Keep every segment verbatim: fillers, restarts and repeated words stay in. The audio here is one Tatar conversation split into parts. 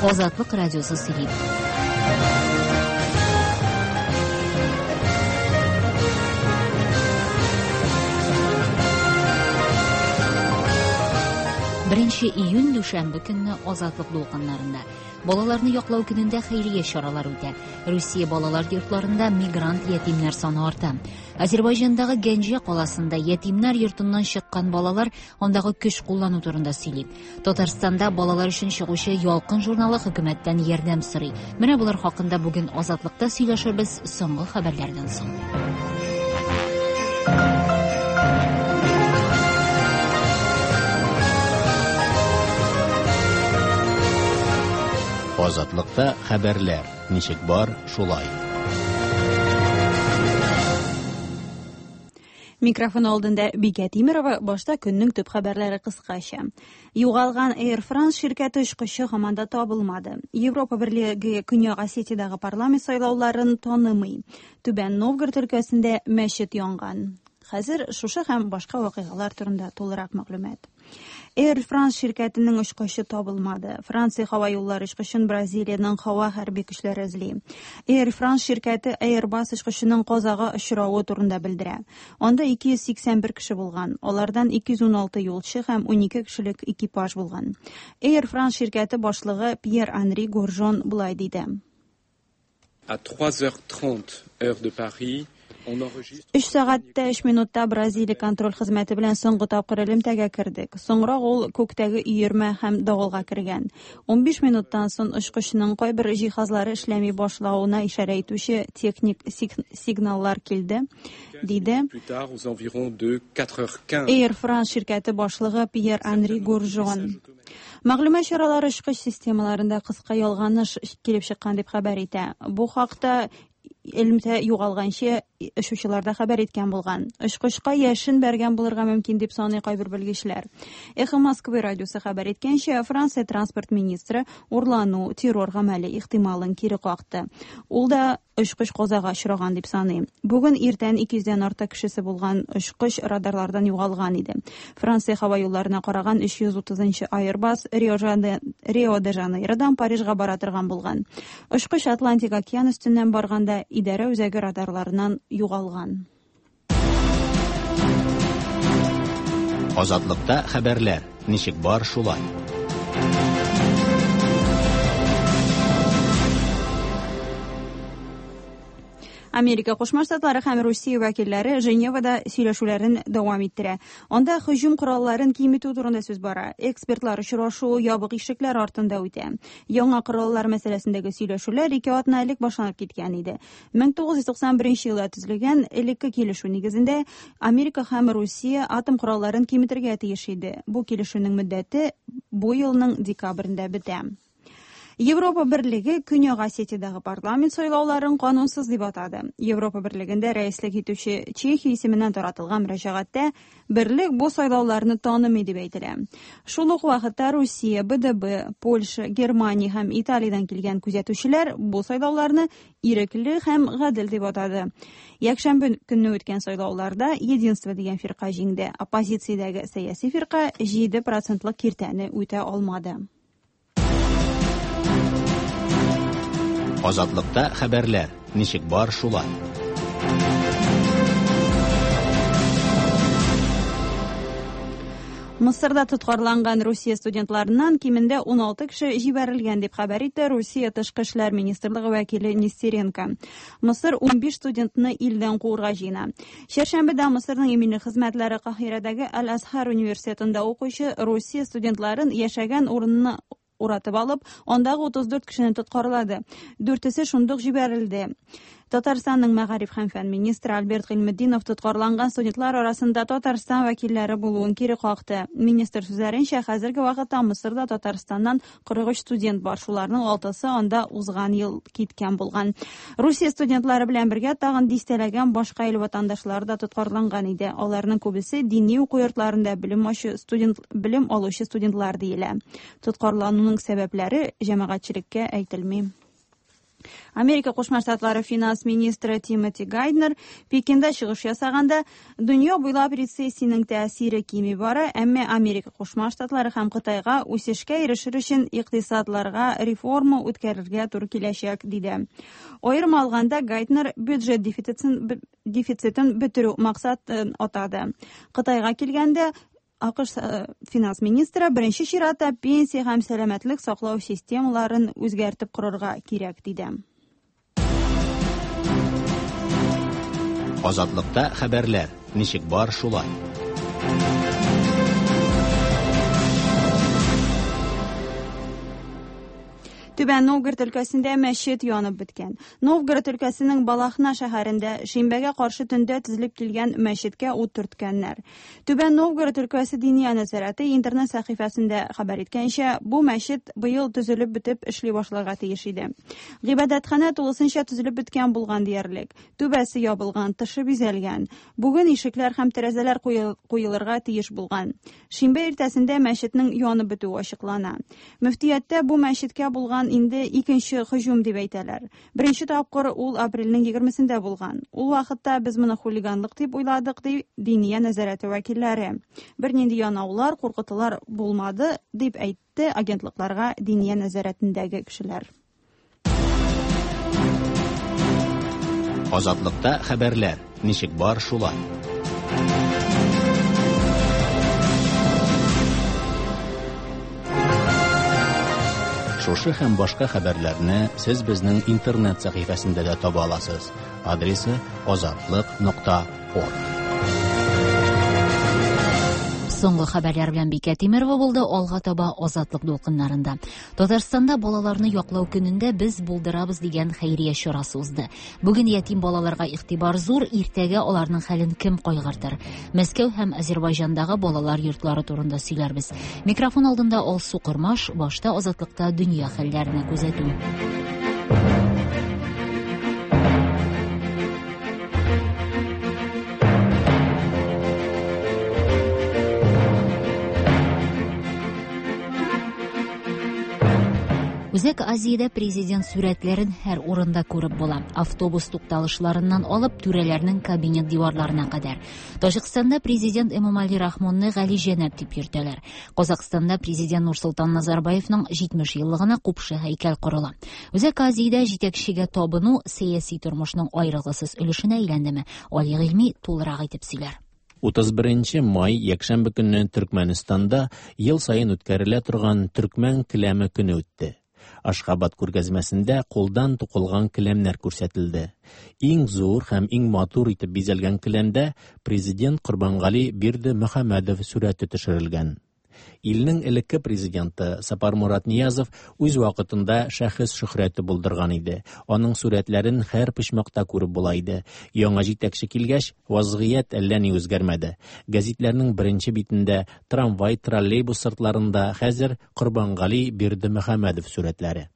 Азатлык радиосы сөйли. Беренче июнь дүшәмбе көнне Азатлык дулкыннарында балаларны яклау көнендә хәйрия чаралары үтә. Русия балалар йортларында мигрант ятимнәр саны арта. Азербайҗандагы Гәнҗә каласында ятимнәр йортыннан чыккан балалар андагы көч куллану турында сөйли. Татарстанда балалар өчен чыгучы Ялкын журналы хөкүмәттән ярдәм сорый. Менә булар хакында бүген Азатлыкта сөйләшербез соңгы хәбәрләрдән соң. Азатлыкта хәбәрләр ничек бар, шулай. Микрофон алдында Бикә Тимирова, башта көннең төп хәбәрләре кыскача. Югалган Air France ширкәте очкычы һаман да табылмады. Европа Берлеге Көньяк Осетиядәге парламент сайлауларын танымый. Түбән Новгород өлкәсендә мәчет янган. Хәзер шушы һәм башка вакыйгалар турында тулырак мәгълүмат. Air France ширкәтенең очкычы табылмады. Франция һава юллары очкычын Бразилиянең һава хәрби көчләре эзли. Air France ширкәте Airbus очкычының казага очравы турында белдерә. Анда ике йөз сиксән бер кеше булган. Алардан ике йөз уналты юлчы һәм унике кешелек экипаж булган. Air France ширкәте башлыгы Пьер-Анри Горжон болай диде. À trois heures trente heure de Paris, Өч сәгатьтә өч минутта Бразилия контроль хезмәте белән соңгы тапкыр элемтәгә кердек. Соңрак ул күктәге өермә һәм давылга кергән. Унбиш минуттан соң очкычның кайбер җиһазлары эшләми башлавына ишарә итүче техник сигналлар килде, диде. Air France ширкәте башлыгы Пьер-Анри Горжон. Мәгълүмат чаралары очкыч системаларында кыска ялганыш килеп чыккан дип хәбәр итә. Бу хакта элемтә югалганчы очучылар да хәбәр иткән булган. Очкычка яшен бәргән булырга мөмкин дип саный кайбер белгечләр. Эхо Москвы радиосы хәбәр иткәнчә, Франция транспорт министры урлану, террор гамәле ихтималын кире какты. Ул да очкыч казага очраган дип саный. Бүген иртән ике йөздән артык кешесе булган очкыч радарлардан югалган иде. Франция һава юлларына караган өч йөз утызынчы Airbus Рио де Жанейродан Парижга бара торган булган. Очкыч Атлантик океан өстеннән барганда идарә үзәге радарларынан югалган. Азатлыкта хәбәрләр ничек бар, шулай. Америка Кушма Штатлары һәм Русия вәкилләре Женевада сөйләшүләрен дәвам иттерә. Анда һөҗүм коралларын киметү турында сүз бара. Экспертлар очрашуы ябык ишекләр артында үтә. Яңа кораллар мәсьәләсендәге сөйләшүләр ике атна элек башланып киткән иде. мең тугыз йөз туксан беренче елда төзелгән элекке килешү нигезендә Америка һәм Русия атом коралларын киметергә тиеш иде. Бу килешүнең мөддәте бу елның декабрендә бетә. Европа Берлеге Көньяк Осетиядәге парламент сайлауларын канунсыз дип атады. Европа Берлегендә рәислек итүче Чехия исеменнән таратылган мөрәҗәгатьтә берлек бу сайлауларны танымый дип әйтелә. Шул ук вакытта Русия, Б Д Б, Польша, Германия һәм Италиядән килгән күзәтүчеләр бу сайлауларны ирекле һәм гадел дип атады. Якшәмбе көнне үткән сайлауларда Единство дигән фирка җиңде. Оппозициядәге сәяси фирка җиде процентлык киртәне үтә алмады. Азатлыкта хәбәрләр ничек бар, шулай. Мысырда тоткарланган Русия студентларыннан кимендә уналты кеше җибәрелгән дип хәбәр итте Русия Тышкы эшләр министрлыгы вәкиле Нестеренко. Мысыр унбиш студентны илдән куырга җыена. Чәршәмбедә Мысырның иминлек хезмәтләре Каһирәдәге Аль-Азһар университетында укучы Русия студентларын яшәгән урынны уратып алып, андагы утыз дүрт кешене тоткарлады. Дүртесе шундук җибәрелде. Татарстанның мәгариф һәм фән министры Альберт Гыйльметдинов тоткарланган студентлар арасында Татарстан вәкилләре булуын кире какты. Министр сүзләренчә, хәзерге вакытта Мысырда Татарстаннан кырык өч студент бар, шуларның алтысы анда узган ел киткән булган. Русия студентлары белән бергә тагын дистәләгән башка ил ватандашлары да тоткарланган иде. Аларның күбесе дини уку йортларында белем алучы студент, белем алучы студентлар диелә. Тоткарлануның сәбәпләре җәмәгатьчелеккә әйтелми. Америка Кушма Штатлары финанс министры Тимоти Гайднер Пекинда чыгыш ясаганда дөнья буйлап рецессиянең тәэсире кими бара, әмма Америка Кушма Штатлары һәм Кытайга үсешкә ирешер өчен икътисадларга реформа үткәрергә туры киләчәк, диде. Аерым алганда Гайднер бюджет дефицитын дефицитын бетерү максатын атады. Кытайга килгәндә АКШ финанс министры беренче чиратта пенсия һәм сәламәтлек саклау системаларын үзгәртеп корырга кирәк, диде. Азатлыкта хәбәрләр ничек бар шулай. Түбән Новгород өлкәсендә мәчет янып беткән. Новгород өлкәсенең Балахна шәһәрендә шимбәгә каршы төндә төзелеп килгән мәчеткә ут төрткәннәр. Түбән Новгород өлкәсе Диния нәзарәте интернет сәхифәсендә хәбәр иткәнчә, бу мәчет быел төзелеп бетеп эшли башларга тиеш иде. Гыйбадәтханә тулысынча төзелеп беткән булган диярлек. Түбәсе ябылган, тышы бизәлгән. Бүген ишекләр һәм тәрәзәләр куелырга тиеш булган. Шимбә иртәсендә мәчетнең янып бетүе ачыклана. Мөфтияттә бу мәчеткә булган инде икенче һөҗүм дип әйтәләр. Беренче тапкыр ул апрельнең егермесендә булган. Ул вакытта без моны хулиганлык дип уйладык, ди Диния нәзарәте вәкилләре. Бернинди янаулар, куркытулар булмады, дип әйтте агентлыкларга Диния нәзарәтендәге кешеләр. Азатлыкта хәбәрләр ничек бар шулай. Шушы һәм башка хәбәрләрне сез безнең интернет сәхифәсендә дә таба аласыз. Адресы азатлык нокта орг. Соңгы хәбәрләр белән Бикә Тимерова булды. Алга таба Азатлык дулкыннарында. Татарстанда балаларны яклау көнендә без булдырабыз дигән хәйрия чарасы узды. Бүген ятим балаларга игътибар зур, иртәгә аларның хәлен кем кайгыртыр? Мәскәү һәм Азербайҗандагы балалар йортлары турында сөйләрбез. Микрофон алдында Алсу Кормаш, башта Азатлыкта дөнья хәлләренә күзәтү. Үзәк Азиядә президент сүрәтләрен һәр урында күреп була. Автобус тукталышларыннан алып түрәләрнең кабинет диварларына кадәр. Таҗикстанда президент Эмомали Рахмонны Гали Җәнәп дип йөртәләр. Казакъстанда президент Нурсолтан Назарбаевның җитмеш еллыгына купшы һәйкәл корыла. Үзәк Азиядә җитәкчегә табыну сәяси тормышның аерылгысыз өлешенә әйләндеме? Али Гыйльми тулырак итеп сөйләр. Утыз беренче май якшәмбе көнне Төркмәнстанда ел саен үткәрелә торган Төркмән келәме көне үтте. Ашхабад күргәзмәсендә кулдан тукылган келәмнәр күрсәтелде. Иң зур һәм иң матур итеп бизәлгән келәмдә президент Корбангали Бердымөхәммәдов сүрәте төшерелгән. Илнең элекке президенты Сапармурат Ниязов үз вакытында шәхес шөһрәте булдырган иде. Аның сүрәтләрен һәр почмакта күреп була иде. Яңа җитәкче килгәч, вазгыять әллә ни үзгәрмәде. Гәзитләрнең беренче битендә, трамвай, троллейбус сыртларында хәзер Корбангали Бердымөхәммәдов сүрәтләре.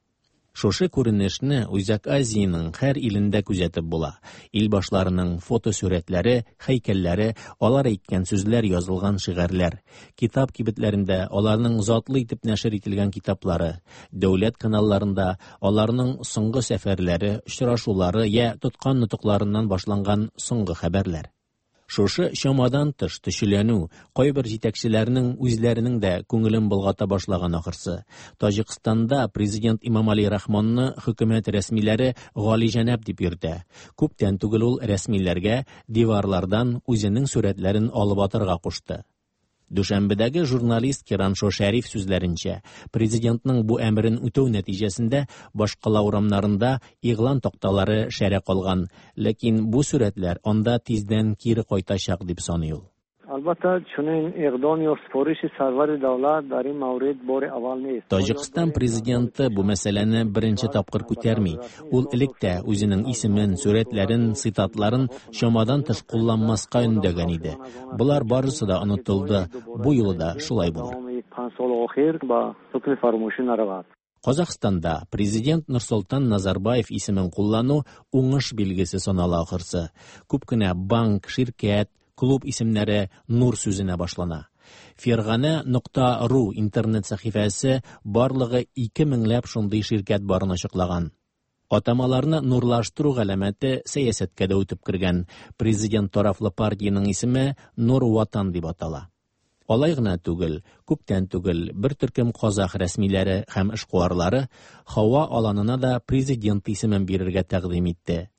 Шушы күренешне Үзәк Азиянең һәр илендә күзәтеп була. Ил башларының фотосүрәтләре, һәйкәлләре, алар әйткән сүзләр язылган шигарьләр, китап кибетләрендә аларның затлы итеп нәшер ителгән китаплары, дәүләт каналларында аларның соңгы сәфәрләре, очрашулары я тоткан нотыкларыннан башланган соңгы хәбәрләр. Шушы чамадан тыш төшеләнү кайбер җитәкчеләрнең үзләренең дә күңелен болгата башлаган ахырсы. Таҗикстанда президент Имамали Рахмонны хөкүмәт рәсмиләре Гали Җәнәп дип йөртә. Күптән түгел ул рәсмиләргә диварлардан үзенең сүрәтләрен алып атарга кушты. Дүшәмбедәге журналист Кираншо Шәриф сүзләренчә, президентның бу әмерен үтәү нәтиҗәсендә башкала урамнарында игълан такталары шәрә калган, ләкин бу сүрәтләр анда тиздән кире кайтачак дип саный ул. Албатта, чунин иқдом ё супориши сарвари давлат дар ин маврид бори аввал нест. Таҗикстан президенты бу мәсьәләне беренче тапкыр күтәрми. Ул элек тә үзенең исемен, сүрәтләрен, цитатларын чамадан тыш кулланмаска өндәгән иде. Болар барысы да онытылды. Бу юлы да шулай булыр. Казахстанда президент Нурсолтан Назарбаев исемен куллану уңыш билгесе санала ахырсы. Күп кенә банк, ширкәт, клуб исемнәре Нур сүзенә башлана. Фергана нокта ру интернет сәхифәсе барлыгы ике меңләп шундый ширкәт барын ачыклаган. Атамаларны нурлаштыру галәмәте сәясәткә дә үтеп кергән. Президент тарафлы партиянең исеме Нур Ватан дип атала. Алай гына түгел, күптән түгел бер төркем казах рәсмиләре һәм эшкуарлары һава аланына да президент исемен бирергә тәкъдим итте.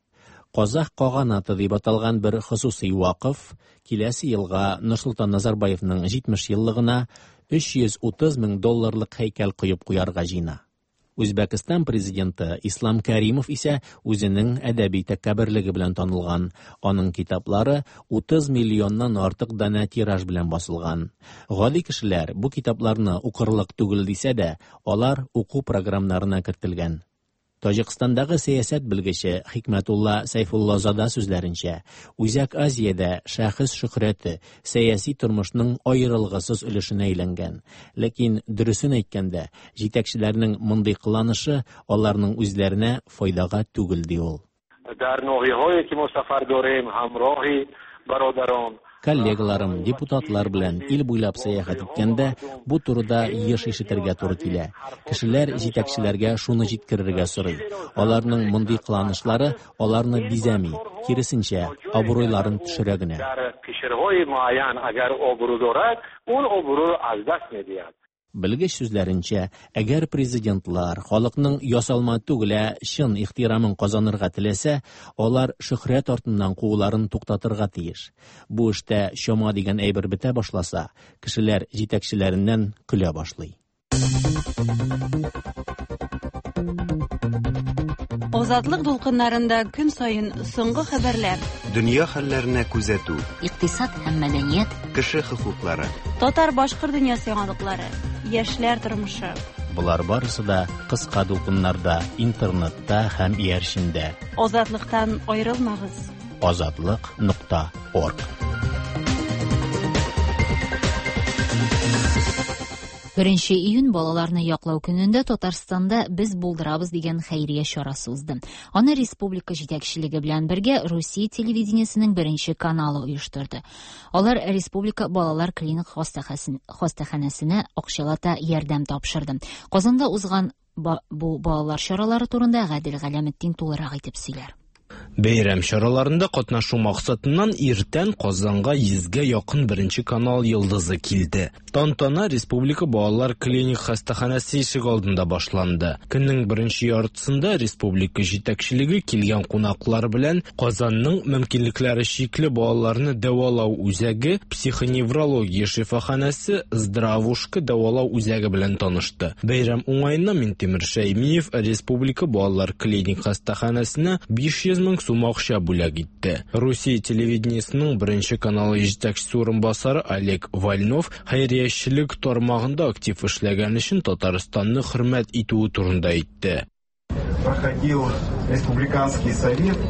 Казах каганаты дип аталган бер хосусый вакыф киләсе елга Нурсолтан Назарбаевның җитмеш еллыгына өч йөз утыз мең долларлык һәйкәл куеп куярга җыена. Үзбәкстан президенты Ислам Каримов исә үзенең әдәби тәкәбберлеге белән танылган. Аның китаплары утыз миллионнан артык данә тираж белән басылган. Гади кешеләр бу китапларны укырлык түгел дисә дә, алар уку програмнарына кертелгән. Таҗикстандагы сәясәт белгече Хикмәтулла Сайфуллазада сүзләренчә, Үзәк Азиядә шәхес шөһрәте сәяси тормышның аерылгысыз өлешенә әйләнгән. Ләкин дөресен әйткәндә, җитәкчеләрнең мондый кыланышы аларның үзләренә файдага түгел, ди ул. Дар ноҳияҳое ки мо сафар дорем, ҳамроҳи бародарон, Коллегаларым, депутатлар белән ил буйлап сәяхәт иткәндә бу турыда еш ишетергә туры килә. Кешеләр җитәкчеләргә шуны җиткерергә сорый. Аларның мондый кыланышлары аларны бизәми, киресенчә, абруйларын төшерә генә. Белгеч сүзләренчә, әгәр президентлар халыкның ясалма түгел, ә чын ихтирамын казанырга теләсә, алар шөһрәт артыннан кууларын туктатырга тиеш. Бу эштә чама дигән әйбер бетә башласа, кешеләр җитәкчеләреннән көлә башлый. Азатлык дулкыннарында көн саен соңгы хәбәрләр, дөнья хәлләренә күзәтү, икътисад һәм мәдәният, кеше хокуклары, татар-башкорт дөньясы яңалыклары, яшьләр тормышы. Болар барысы да кыска дулкыннарда, интернетта һәм иярчендә. Азатлыктан аерылмагыз. Азатлык нокта орг. Беренче июнь балаларны яклау көнендә Татарстанда Без булдырабыз дигән хәйрия чарасы узды. Аны республика җитәкчелеге белән бергә Русия телевидениесенең беренче каналы оештырды. Алар республика балалар клиник хастаханәсенә акчалата ярдәм тапшырды. Казанда узган бу балалар чаралары турында Гадел Галәметдин тулырак итеп сөйләр. Бәйрәм чараларында катнашу максатыннан иртән Казанга йөзгә якын беренче канал йолдызы килде. Тантана Республика балалар клиник хастаханәсе ишек алдында башланды. Көннең беренче яртысында республика җитәкчелеге килгән кунаклар белән Казанның мөмкинлекләре чикле балаларны дәвалау үзәге, психоневрология шифаханәсе, Здравушка дәвалау үзәге белән танышты. Бәйрәм уңаеннан Минтимер Шәймиев Республика балалар клиник хастаханәсенә биш йөз мең сум акча бүләк итте. Русия телевидениесының беренче каналы җитәкчесе урынбасары Олег Вольнов хәйриячелек тармагында актив эшләгән өчен Татарстанны хөрмәт итүе турында әйтте. Проходил республиканский совет.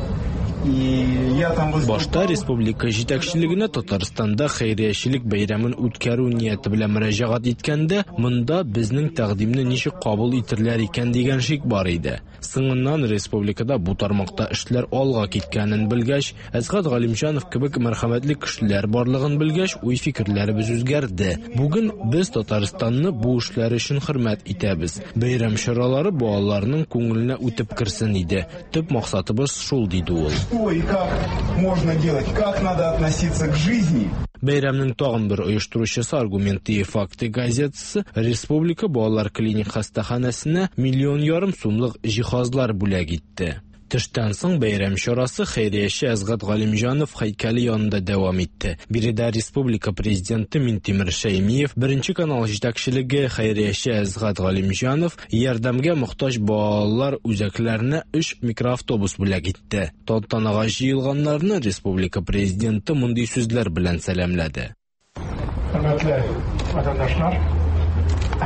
Башта республика җитәкчелегенә Татарстанда хәйриячелек бәйрәмен үткәрү нияте белән мөрәҗәгать иткәндә, монда безнең тәкъдимне ничек кабул итерләр икән дигән шик бар иде. Соңыннан республикада бу тармакта эшләр алга киткәнен белгәч, Әсгать Галимҗанов кебек мәрхәмәтле кешеләр барлыгын белгәч, уй-фикерләребез үзгәрде. Бүген без Татарстанны бу эшләр өчен хөрмәт итәбез. Бәйрәм чаралары балаларның күңеленә үтеп керсен иде. Төп максатыбыз шул, диде ул. Что и как можно делать, как надо относиться к жизни. Бәйрәмнең тагын бер оештыручысы Аргументы и факты газетасы Республика балалар клиник хастаханәсенә миллион ярым сумлык җиһазлар бүләк итте. Төштән соң бәйрәм чарасы хәйрияче Әсгать Галимҗанов һәйкәле янында дәвам итте. Биредә республика президенты Минтимер Шәймиев, беренче канал җитәкчелеге хәйрияче Әсгать Галимҗанов ярдәмгә мохтаҗ балалар үзәкләренә өч микроавтобус бүләк итте. Тантанага җыелганнарны республика президенты мондый сүзләр белән сәламләде. Хөрмәтле ватандашлар,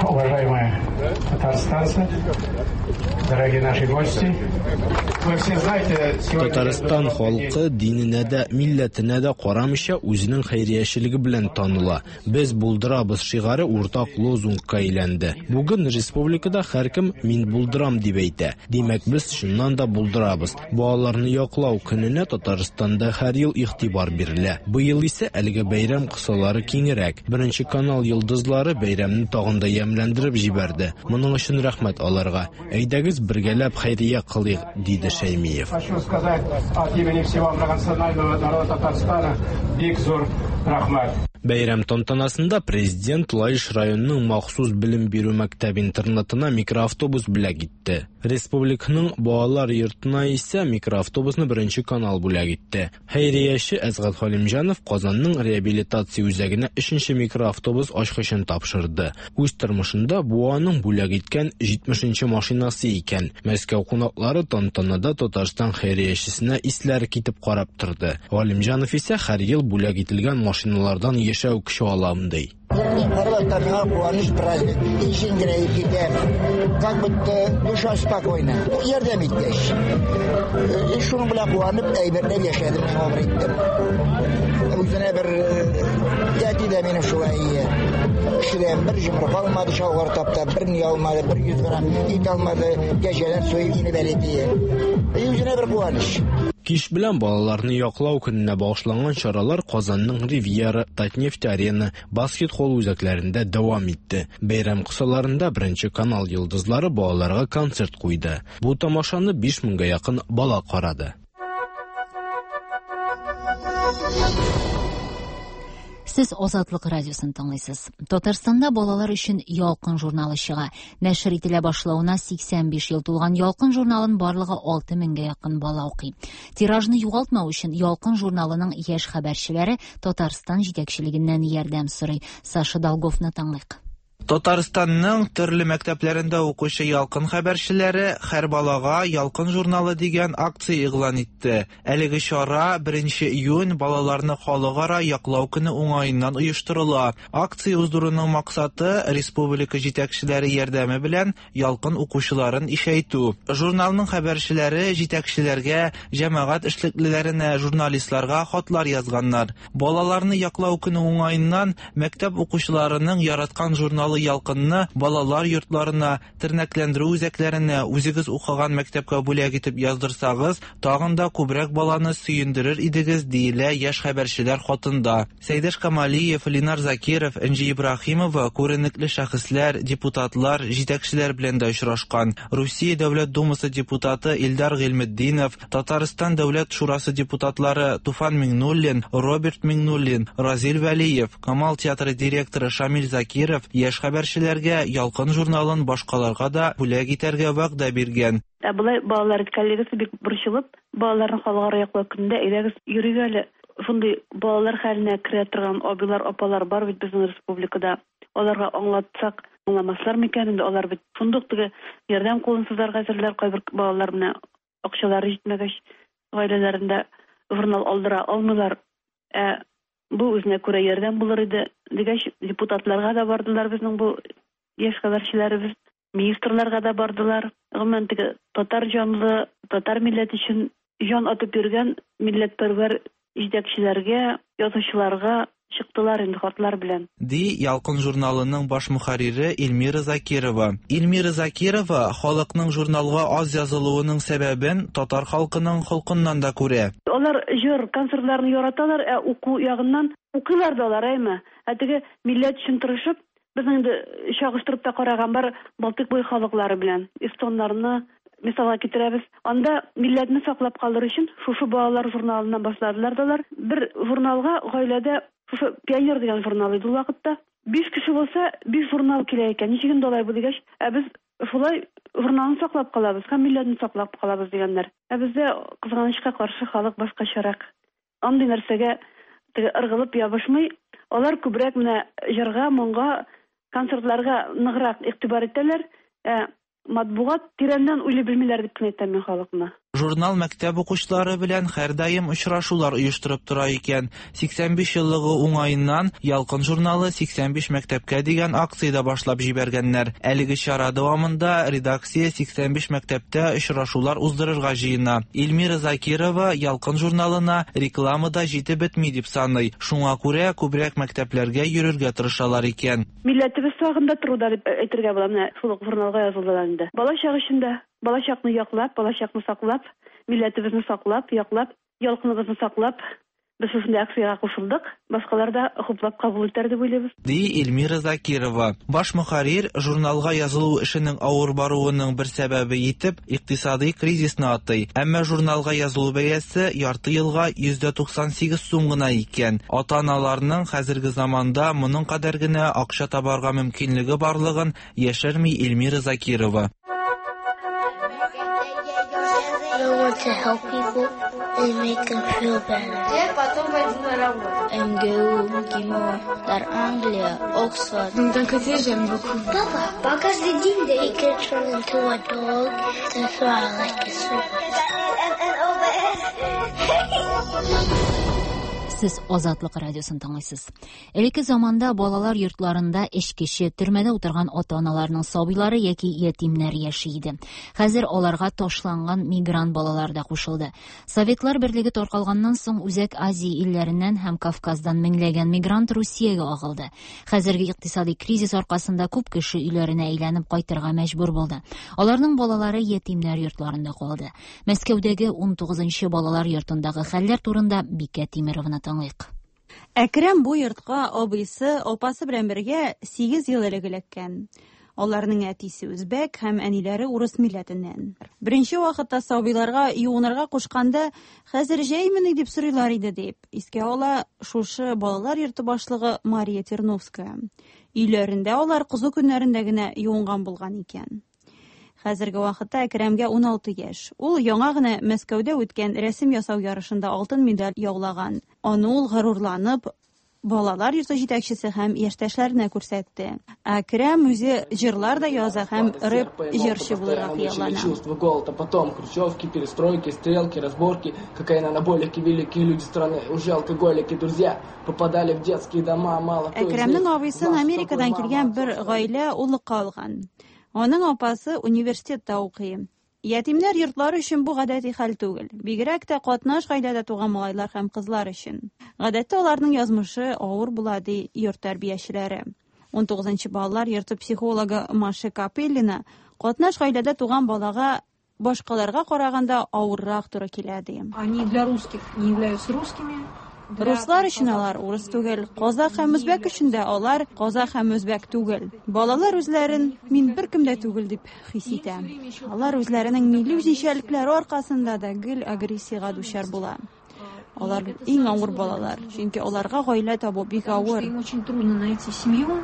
уважаемые татарстанцы, дорогие наши гости, вы все знаете, сегодня Татарстан халкы диненә дә, милләтенә дә карамыйча үзенең хәйриячелеге белән таныла. Без булдырабыз шигаре уртак лозунгка әйләнде. Бүген республикада һәркем мин булдырам дип әйтә. Димәк, без чыннан да булдырабыз. Балаларны яклау көненә Татарстанда һәр ел игътибар бирелә. Быел исә әлеге бәйрәм кысалары киңрәк. Беренче канал йолдызлары бәйрәмне тагын да ямьләндереп җибәрде. Моның өчен рәхмәт аларга. Әйдәгез бергәләп хәйрия кылыйк, диде Шәймиев. Хочу сказать от имени всего многонационального народа Татарстана бик зур рәхмәт. Бәйрәм тантанасында президент Лаеш районының махсус белем бирү мәктәп-интернатына микроавтобус бүләк итте. Республиканың балалар йортына исә микроавтобусны Беренче канал бүләк итте. Хәйрияче Әсгать Халимҗанов Казанның реабилитация үзәгенә өченче микроавтобус ачкычын тапшырды. Үз тормышында бу аның бүләк иткән җитмешенче машинасы икән. Мәскәү кунаклары тантанада Татарстан хәйриячесенә исләре китеп карап торды. Галимҗанов исә һәр ел бүләк ителгән машиналардан яшәү көче алам ди. Һәрвакытта миңа куаныч, праздник. Ишен генә китәм. Как будто душа спокойна. Ярдәм иткәч. Шуның белән куанып, әйбәтләп яшәдем, гомер иттем. Үзенә бер әти дә минем шулай кешедән бер йомырка алмады, чалгыр таптап, бер ни алмады, бер йөз грамм ит алмады, кәҗәдән суеп инеп әле тие. Үзенә бер куаныч. Кич белән балаларны яклау көненә багышланган чаралар Казанның Ривьера, Татнефть-Арена, баскет-холл үзәкләрендә дәвам итте. Бәйрәм кысаларында Беренче канал йолдызлары балаларга концерт куйды. Бу тамашаны биш меңгә якын бала карады. Сез Азатлык радиосын тыңлыйсыз. Татарстанда балалар өчен Ялкын журналы чыга. Нәшер ителә башлавына сиксән биш ел тулган Ялкын журналын барлыгы алты меңгә якын бала укый. Тиражны югалтмау өчен Ялкын журналының яшь хәбәрчеләре Татарстан җитәкчелегеннән ярдәм сорый. Саша Долговны тыңлыйк. Татарстанның төрле мәктәпләрендә укучы Ялкын хәбәрчеләре һәр балага Ялкын журналы дигән акция игълан итте. Әлеге чара беренче июнь балаларны халыкара яклау көне уңаеннан оештырыла. Акция уздыруның максаты республика җитәкчеләре ярдәме белән Ялкын укучыларын ишәйтү. Журналның хәбәрчеләре җитәкчеләргә, җәмәгать эшлеклеләренә, журналистларга хатлар язганнар. Балаларны яклау көне уңаеннан мәктәп укучыларының яраткан журналы Ялкынны балалар йортларына, тернәкләндерү үзәкләренә, үзегез укыган мәктәпкә бүләк итеп яздырсагыз, тагын да күбрәк баланы сөендерер идегез, диелә яшь хәбәрчеләр хатында. Сәйдәш Камалиев, Ленар Закиров, Энҗи Ибраһимова күренекле шәхесләр, депутатлар, җитәкчеләр белән дә очрашкан. Русия Дәүләт Думасы депутаты Илдар Гыйльметдинов, Татарстан Дәүләт Шурасы депутатлары Туфан Миңнуллин, Роберт Миңнуллин, Разил Вәлиев, Камал театры директоры Шамил Закиров яшь хәбәрчеләргә Ялкын журналын башкаларга да бүләк итәргә вәгъдә биргән. Ә болай балалар коллегасы бик борчылып, балаларны халыкара яклау көнендә әйдәгез йөрик әле. Шундый балалар хәленә керә торган абыйлар, апалар бар бит безнең республикада. Аларга аңлатсак, аңламаслар микән инде, алар бит шундук теге ярдәм кулын сузарга әзерләр, кайбер балалар менә акчалары җитмәгәч, гаиләләрендә журнал алдыра алмыйлар. Ә бу үзенә күрә ярдәм булыр иде дигәч, депутатларга да бардылар безнең бу яшь хәбәрчеләребез, министрларга да бардылар. Гомумән теге татар җанлы, татар милләте өчен җан атып йөргән милләтпәрвәр җитәкчеләргә, язучыларга чыктылар инде хатлар белән. Ди Ялкын журналының баш мөхәррире Эльмира Закирова. Эльмира Закирова халыкның журналга аз язылуының сәбәбен татар халкының холкыннан да күрә. Алар җыр, концертларны яраталар, ә уку ягыннан укыйлар да алар, әйме? Ә теге милләт өчен тырышып, безнең инде чагыштырып та караган бар Балтыйк буе халыклары белән, эстоннарны мисалга китерәбез. Анда милләтне саклап калыр өчен шушы балалар журналыннан башладылар да алар. Бер журналга гаиләдә шушы Пионер дигән журнал иде ул вакытта. Биш кеше булса, биш журнал килә икән. Ничек инде алай бу дигәч, ә без шулай журналны саклап калабыз һәм милләтне саклап калабыз дигәннәр. Ә бездә кызганычка каршы халык башкачарак. Андый нәрсәгә теге ыргылып ябышмый. Алар күбрәк менә җырга, моңга, концертларга ныграк игътибар итәләр. Ә матбугат тирәннән уйлый белмиләр дип кенә әйтәм мин халыкны. Журнал мәктәп укучылары белән һәрдаим очрашулар оештырып тора икән. сиксән биш еллыгы уңаеннан Ялкын журналы сиксән биш мәктәпкә дигән акция башлап җибәргәннәр. Әлеге чара дәвамында редакция сиксән биш мәктәптә очрашулар уздырырга җыена. Эльмира Закирова Ялкын журналына реклама да җитеп бетми дип саный. Шуңа күрә күбрәк мәктәпләргә йөрергә тырышалар икән. Милләтебез сагында торуда дип әйтергә була. Менә шул ук журналга язылдылар инде. Балачак эчендә балачакны яклап, балачакны саклап, милләтебезне саклап, яклап, ялкыныбызны саклап, Без шушындый акциягә кушылдык, башкалар да хуплап кабул итәр дип уйлыйбыз. Ди Эльмира Закирова. Баш мөхәррир журналга язылу эшенең авыр баруының бер сәбәбе итеп икътисади кризисны атый. Әмма журналга язылу бәясе ярты елга йөз туксан сигез сум гына икән. Ата-аналарның хәзерге заманда моның кадәр генә акча табарга мөмкинлеге барлыгын яшерми Эльмира Закирова. I want to help people and make them feel better. МГУ, МГИМО, Дар Англия, Оксфорд. D'un côté, j'aime beaucoup. Папа, каждый день they can turn into a dog. That's why I like it so much. Сез Азатлык радиосын тыңлыйсыз. Элекке заманда балалар йортларында эчкече, төрмәдә утырган ата-аналарның сабыйлары яки ятимнәр яши иде. Хәзер аларга ташланган мигрант балалар да кушылды. Советлар берлеге таркалганнан соң Үзәк Азия илләреннән һәм Кавказдан меңләгән мигрант Русиягә агылды. Хәзерге икътисади кризис аркасында күп кеше өйләренә әйләнеп кайтырга мәҗбүр булды. Аларның балалары ятимнәр йортларында калды. Мәскәүдәге ун тугызынчы балалар йортындагы хәлләр турында Бикә Тимеровна тыңлыйк. Әкрәм бу йортка абыйсы, апасы белән бергә сигез ел элек эләккән. Аларның әтисе үзбәк һәм әниләре урыс милләтеннән. Беренче вакытта сабыйларга юынырга кушканда, хәзер җәймени дип сорыйлар иде дип искә ала шушы балалар йорты башлыгы Мария Терновская. Өйләрендә алар кызу көннәрендә генә юынган булган икән. Хәзерге вакытта Әкрәмгә ун алты яшь. Ул яңа гына Мәскәүдә үткән рәсем ясау ярышында алтын медаль яулаган. Аны ул горурланып балалар йорты җитәкчесе һәм яшьтәшләренә күрсәтте. Әкрәм үзе җырлар да яза һәм рэп җырчы булырга хыяллана. Чувство голода, потом хрущевки, перестройки, стрелки, разборки, какая анаболики, великие люди страны, уже алкоголики, друзья, попадали в детские дома, мало кто. Әкрәмнең абыйсын Америкадан килгән бер гаилә уллыкка алган. Аның апасы университетта укый. Ятимнәр йортлары өчен бу гадәти хәл түгел. Бигрәк тә катнаш гаиләдә туган малайлар һәм кызлар өчен. Гадәттә аларның язмышы авыр була, ди йорт тәрбиячеләре. ун тугызынчы балалар йорты психологы Маша Капеллина катнаш гаиләдә туган балага башкаларга караганда авыррак туры килә, ди. Они для русских не являются русскими. Руслар өчен алар урыс түгел, казах һәм үзбәк өчен дә алар казах һәм үзбәк түгел. Балалар үзләрен мин беркем дә түгел дип хис итә. Алар үзләренең милли үзенчәлекләре аркасында да гел агрессиягә дучар була. Алар иң авыр балалар, чөнки аларга гаилә табу бик авыр.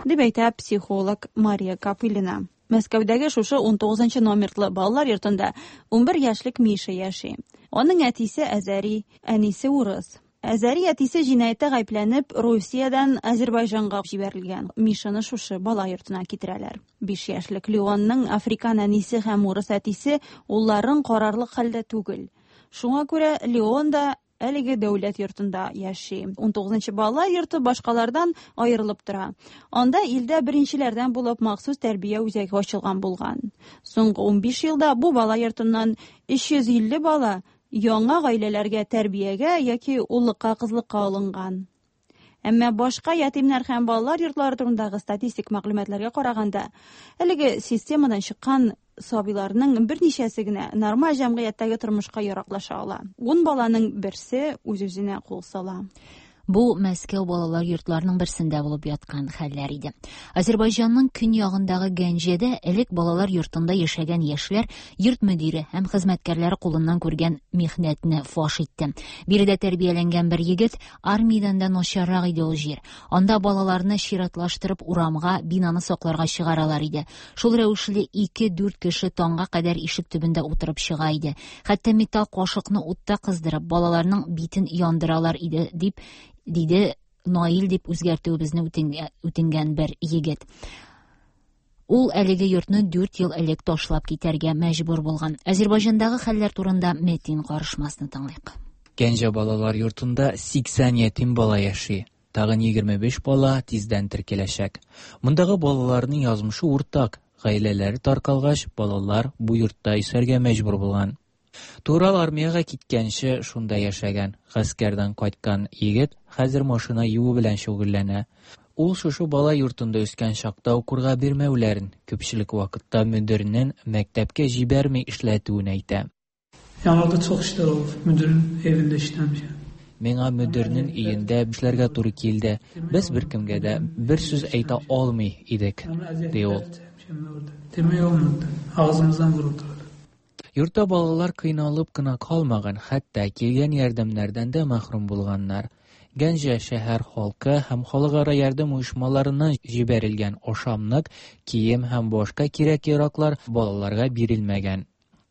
Дип әйтә психолог Мария Капылина. Мәскәүдәге шушы ун тугызынчы номерлы балалар йортында ун бер яшьлек Миша яши. Аның әтисе әзәри, әнисе урыс. Әзәри әтисе җинаятьтә гаепләнеп, Русиядән Азербайҗанга җибәрелгән. Мишаны шушы бала йортына китерәләр. Биш яшьлек Леонның африкан әнисе һәм урыс әтисе улларын карарлык хәлдә түгел. Шуңа күрә Леон да әлеге дәүләт йортында яши. ун тугызынчы балалар йорты башкалардан аерылып тора. Анда илдә беренчеләрдән булып махсус тәрбия үзәге ачылган булган. Соңгы ун биш елда бу бала йортыннан өч йөз илле бала яңа гаиләләргә тәрбиягә яки уллыкка, кызлыкка алынган. Әмма башка ятимнәр һәм балалар йортлары турындагы статистик мәгълүматларга караганда, әлеге системадан чыккан сабыйларның берничәсе генә нормаль җәмгыятьтәге тормышка яраклаша ала. Ун баланың берсе үз-үзенә кул сала. Бу Мәскәү балалар йортларының берсендә булып яткан хәлләр иде. Азербайҗанның көньягындагы Гәнҗәдә элек балалар йортында яшәгән яшьләр йорт мөдире һәм хезмәткәрләре кулыннан күргән михнәтне фаш итте. Биредә тәрбияләнгән бер егет армиядән дә начаррак иде ул җир. Анда балаларны чиратлаштырып урамга, бинаны сакларга чыгаралар иде. Шул рәвешле ике-дүрт кеше таңга кадәр ишек төбендә утырып чыга иде. Хәтта металл кашыкны утта кыздырып, балаларның битен яндыралар иде дип диде Наил дип үзгәртүебезне үтенгән бер егет. Ул әлеге йортны дүрт ел элек ташлап китәргә мәҗбүр булган. Азербайҗандагы хәлләр турында Метин карышмасны тыңлыйк. Гәнҗә балалар йортында сиксән ятим бала яши. Тагын егерме биш бала тиздән теркәләчәк. Мондагы балаларның язмышы уртак. Гаиләләре таркалгач, балалар бу йортта яшәргә мәҗбүр булган. Турал армиягә киткәнче шунда яшәгән. Гаскәрдән кайткан егет хәзер машина юу белән шөгыльләнә. Ул шушы бала йортында үскән чакта укырга бирмәүләрен, күпчелек вакытта мөдирнең мәктәпкә җибәрми эшләтүен әйтә. Yəni orada çox işlər olub, müdirin evində işləmişəm. Миңа мөдирнең өендә эшләргә туры килде. Без беркемгә дә бер сүз әйтә алмый идек, ди ул. Йортта балалар кыйналып кына калмаган, хәтта килгән ярдәмнәрдән дә мәхрүм булганнар. Гәнҗә шәһәр халкы һәм халыкара ярдәм оешмаларыннан җибәрелгән ашамлык, кием һәм башка кирәк-яраклар балаларга бирелмәгән.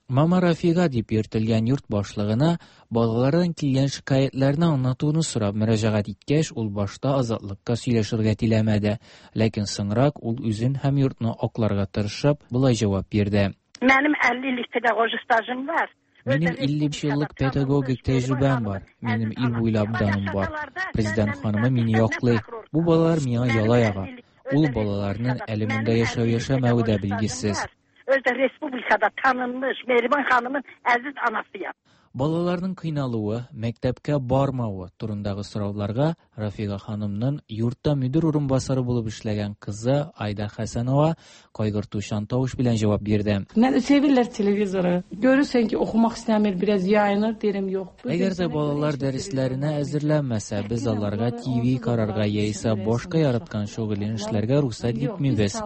Мама Рафига дип йөртелгән йорт башлыгына балалардан килгән шикаятьләрне аңлатуны сорап мөрәҗәгать иткәч, ул башта Азатлыкка сөйләшергә теләмәде, ләкин соңрак ул үзен һәм йортны акларга тырышып, болай җавап бирде. Минем илле еллык педагогик стажым бар. Минем илле еллык педагогик тәҗрибәм бар. Минем ил буйлап даным бар. Президент ханымы мине яклый. Бу балалар миңа яла яга. Ул балаларның әле монда яшәү-яшәмәве дә билгесез. Özdə respublikada tanınmış Mehriban xanımın əziz anasıyam. Балаларның кыйналуы, мәктәпкә бармавы турындагы сорауларга Рафига ханымның йортта мөдир урынбасары булып эшләгән кызы Айда Хәсәнова кайгыртучан тавыш белән җавап бирде. Sevirlər televizoru. Görürsən ki, oxumaq istəmir, biraz yayınır, deyirəm yox. Әгәр дә балалар дәресләренә әзерләнмәсә, без аларга T V карарга яисә башка яраткан шөгылен эшләргә рөхсәт итмибез.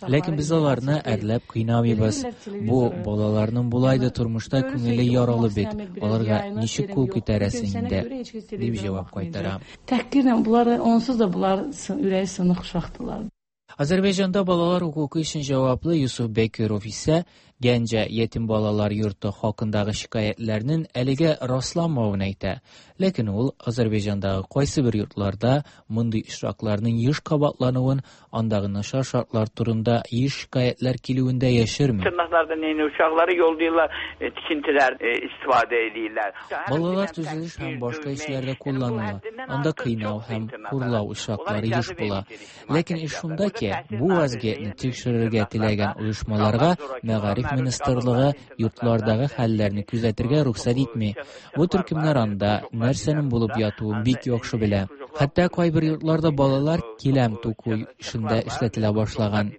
Ләкин без аларны әрләп кыйнамыйбыз. Бу балаларның болай да тормышта күңеле яралы бит. Аларга ничек кул күтәрәсең инде, дип җавап кайтара. Тәхкирlə bunları onsuz da bunlar ürəyi sınıq uşaqdılar. Azərbaycanda balalar hüququ üçün cavablı Yusuf Bekirov isə Gəncə yetim balalar yurtu haqqındakı şikayətlərinin әлегә rastlanmavını әйтә. Ләкин ул Азərbaycandагы кайсы бер йортларда мондый очракларның еш кабатлануын, андагы начар шартлар турында еш шикаятьләр килүен дә яшерми. Tırnaqlarda neyni uşaqları yollayırlar, tikintilər istifadə edirlər. Балалар төзелеш һәм башка эшләрдә кулланыла. Анда кыйнау һәм хурлау очраклары еш була. Ләкин эш шунда ки, бу вазгыятьне тикшерергә теләгән оешмаларга мәгариф министрлыгы йортлардагы хәлләрне күзәтергә рөхсәт итми. Бу төркемнәр анда нәрсәнең булып ятуын бик яхшы белә. Хәтта кайбер йортларда балалар киләм туку эшендә эшләтелә башлаган.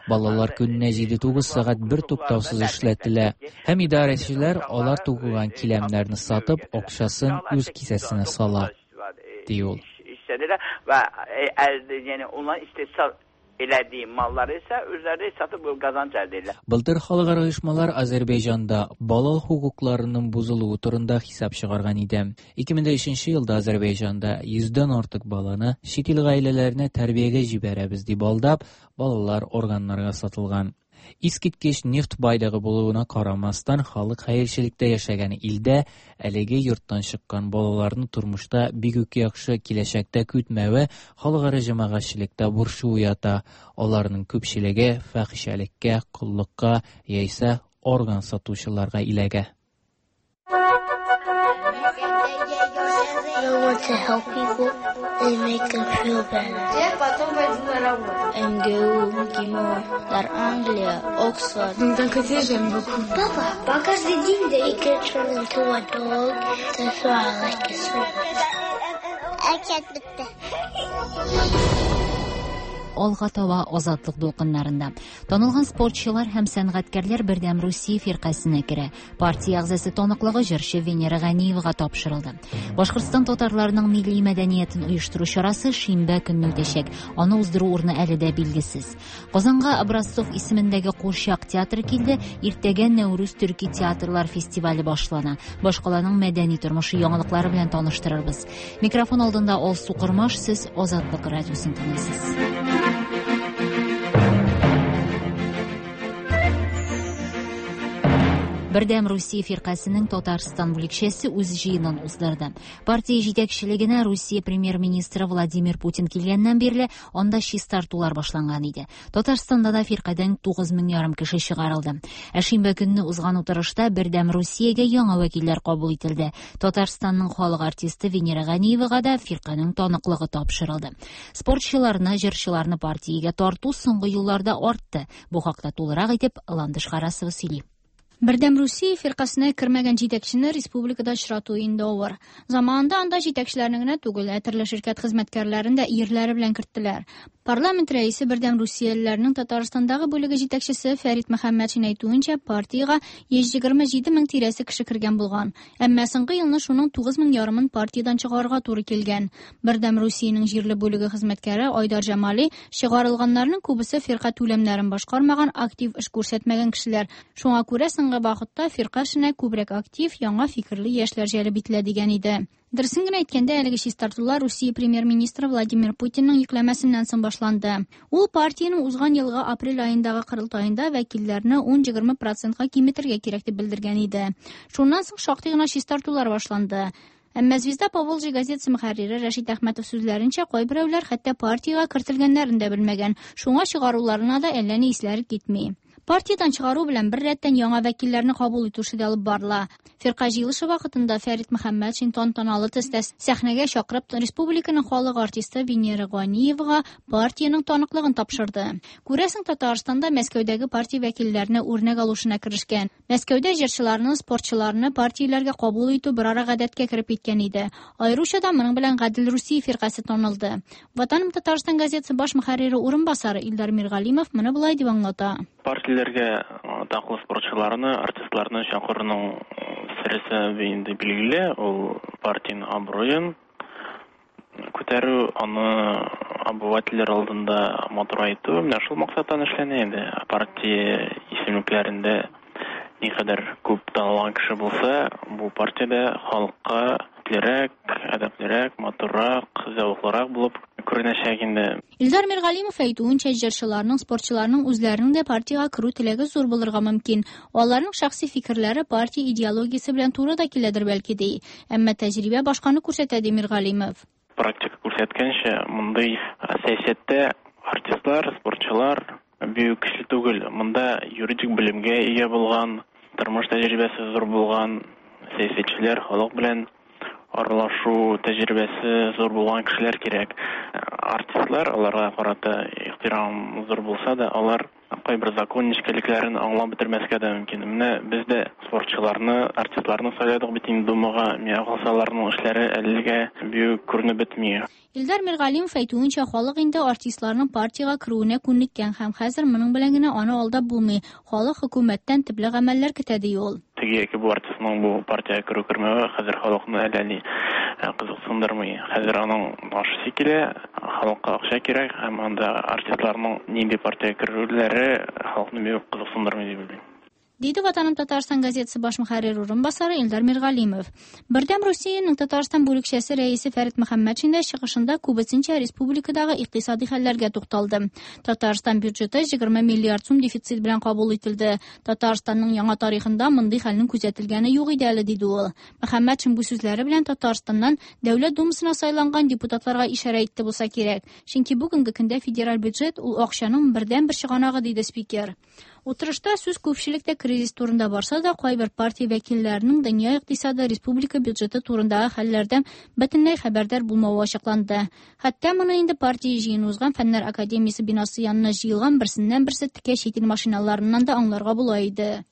Балалар көненә җиде-тугыз сәгать бер туктаусыз эшләтелә. Һәм идарәчеләр алар тукыган киләмнәрне сатып, акчасын үз кесәсенә сала, ди ул. Və yəni onların istehsal elədiyi malları isə özləri satıb qazanc əldə edirlər. Былтыр халыкара оешмалар Азәрбайҗанда бала хокукларының бозылуы турында хисап чыгарган иде. ике мең өченче елда Азәрбайҗанда йөздән артык баланы чит ил гаиләләренә тәрбиягә җибәрәбез дип алдап, балалар органнарга сатылган. Искиткеч нефть байлыгы булуына карамастан, халык хәерчелектә яшәгән илдә әлеге йорттан чыккан балаларны тормышта бик үк яхшы киләчәктә көтмәве халыкара җәмәгатьчелектә борчу уята. Аларның күпчелеге фәхишәлеккә, коллыкка яисә орган сатучыларга иләгә. I want to help people and make them feel better. МГУ, МГИМО, Дар Англия, Оксфорд. D'un côté, j'aime beaucoup. Папа, по каждый день they can turn into a dog. That's why I like this one. Әкият бетте. Алга таба Азатлык дулкыннарында. Танылган спортчылар һәм сәнгатькәрләр Бердәм Русия фиркасенә керә. Партия әгъзасы таныклыгы җырчы Венера Ганиевага тапшырылды. Башкортстан татарларының милли мәдәниятен оештыру чарасы шимбә көнне үтәчәк. Аны уздыру урыны әле дә билгесез. Казанга Образцов исемендәге курчак театры килде. Иртәгә Нәүрүз төрки театрлар фестивале башлана. Башкаланың мәдәни тормышы яңалыклары белән таныштырырбыз. Микрофон алдында Алсу Кормаш, сез Азатлык радиосын тыңлыйсыз. Бердәм Русия фиркасының Татарстан бүлекчәсе үз җыенын уздырды. Партия җитәкчелегенә Русия премьер-министры Владимир Путин килгәннән бирле анда чистартулар башланган иде. Татарстанда да фиркадән тугыз мең ярым кеше чыгарылды. Ә шимбә көнне узган утырышта Бердәм Русиягә яңа вәкилләр кабул ителде. Татарстанның халык артисты Венера Ганиевага да фирканың таныклыгы тапшырылды. Спортчыларны, җырчыларны партиягә тарту соңгы елларда артты. Бу хакта тулырак итеп Ландыш Харасова сөйли. Бердәм Русия фиркасына кермәгән җитәкчене республикада очрату инде авыр. Заманында анда җитәкчеләрне генә түгел, ә төрле ширкәт хезмәткәрләрен дә ирләре белән керттеләр. Парламент рәисе Бердәм Русиялеләрнең Татарстандагы бүлеге җитәкчесе Фәрит Мөхәммәтшин әйтүенчә, партиягә йөз егерме җиде мең тирәсе кеше кергән булган. Әмма соңгы елны шуның тугыз мең ярымын партиядән чыгарырга туры килгән. Бердәм Русиянең җирле бүлеге хезмәткәре Айдар Җамали чыгарылганнарның күбесе фирка түләмнәрен башкармаган, актив эш күрсәтмәгән кешеләр. Шуңа күрә соңгы вакытта фирка эшенә күбрәк актив, яңа фикерле яшьләр җәлеп ителә дигән иде. Дөресен генә әйткәндә, әлеге чистартулар Русия премьер-министры Владимир Путинның йөкләмәсеннән соң башланды. Ул партиянең узган елгы апрель аендагы корылтаенда вәкилләрне ун-егерме процентка киметергә кирәк дип белдергән иде. Шуннан соң шактый гына чистартулар башланды. Әмма «Звезда Поволжья» газетасы мөхәррире Рәшит Әхмәтов сүзләренчә, кайберәүләр хәтта партиягә кертелгәннәрен дә белмәгән. Шуңа чыгаруларына да әллә ни исләре китми. Партиядән чыгару белән бер рәттән яңа вәкилләрне кабул итү эше дә алып барыла. Фирка җыелышы вакытында Фәрит Мөхәммәтшин тантаналы төстә сәхнәгә чакырып республиканың халык артисты Венера Ганиевага партиянең таныклыгын тапшырды. Күрәсең, Татарстанда Мәскәүдәге партия вәкилләренә үрнәк алу эшенә керешкән. Мәскәүдә җырчыларны, спортчыларны партияләргә кабул итү берара гадәткә кереп киткән иде. Аеруча да моның белән Гадел Русия фиркасе танылды. Ватаным Татарстан газетасы баш мөхәррире урынбасары Илдар Миргалимов моны болай дип аңлата. Партияләргә атаклы спортчыларны, артистларны чакыруның сересе инде билгеле, ул партиянең абруен күтәрү, аны обывательләр алдында матурайту, менә шул максаттан эшләнә инде. Партия исемлекләрендә никадәр күп танылган кеше булса, бу партиядә халыкка иплерәк, әдәплерәк, матуррак, зәвыклырак булып күренәчәк инде. Илдар Миргалимов әйтүенчә, җырчыларның, спортчыларның үзләренең дә партиягә керү теләге зур булырга мөмкин. Аларның шәхси фикерләре партия идеологиясе белән туры да киләдер бәлки ди. Әмма тәҗрибә башканы күрсәтә, ди Миргалимов. Практика күрсәткәнчә, мондый сәясәттә артистлар, спортчылар бик көчле түгел. Монда юридик белемгә ия булган, тормыш тәҗрибәсе зур булган сәясәтчеләр, халык белән аралашу тәҗрибәсе зур булган кешеләр кирәк. Артистлар, аларга карата ихтирам зур булса да, алар кайбер закон нечкәлекләрен аңлап бетермәскә дә мөмкин. Менә без дә спортчыларны, артистларны сайладык бит инде Думага, миңа калса, аларның эшләре әлегә бик күренеп бетми. Илдар Миргалимов әйтүенчә, халык инде артистларның партиягә керүенә күнеккән һәм хәзер моның белән генә аны алдап булмый. Халык хөкүмәттән төпле гамәлләр көтә, ди ул. Теге яки бу артистның бу партиягә керү кермәве хәзер халыкны әллә ни кызыксындырмый. Хәзер аның ашысы килә, халыкка акча кирәк һәм анда артистларның нинди партиягә керүләре халыкны бик кызыксындырмый дип уйлыйм. Диде Ватаным Татарстан газетасы баш мөхәррире урынбасары Илдар Миргалимов. Бердәм Русиянең Татарстан бүлекчәсе рәисе Фәрит Мөхәммәтшин дә чыгышында күбесенчә республикадагы икътисади хәлләргә тукталды. Татарстан бюджеты егерме миллиард сум дефицит белән кабул ителде. Татарстанның яңа тарихында мондый хәлнең күзәтелгәне юк иде әле, диде ул. Мөхәммәтшин бу сүзләре белән Татарстаннан Дәүләт Думасына сайланган депутатларга ишарә итте булса кирәк. Чөнки бүгенге көндә федераль бюджет ул акчаның бердәнбер чыганагы, диде спикер. Утырышта сүз күпчелектә кризис турында барса да, кайбер партия вәкилләренең дөнья икътисады, республика бюджеты турындагы хәлләрдән бөтенләй хәбәрдар булмавы ачыкланды. Хәтта моны инде партия җыены узган Фәннәр академиясе бинасы янына җыелган берсеннән берсе текә чит ил машиналарыннан да аңларга була иде.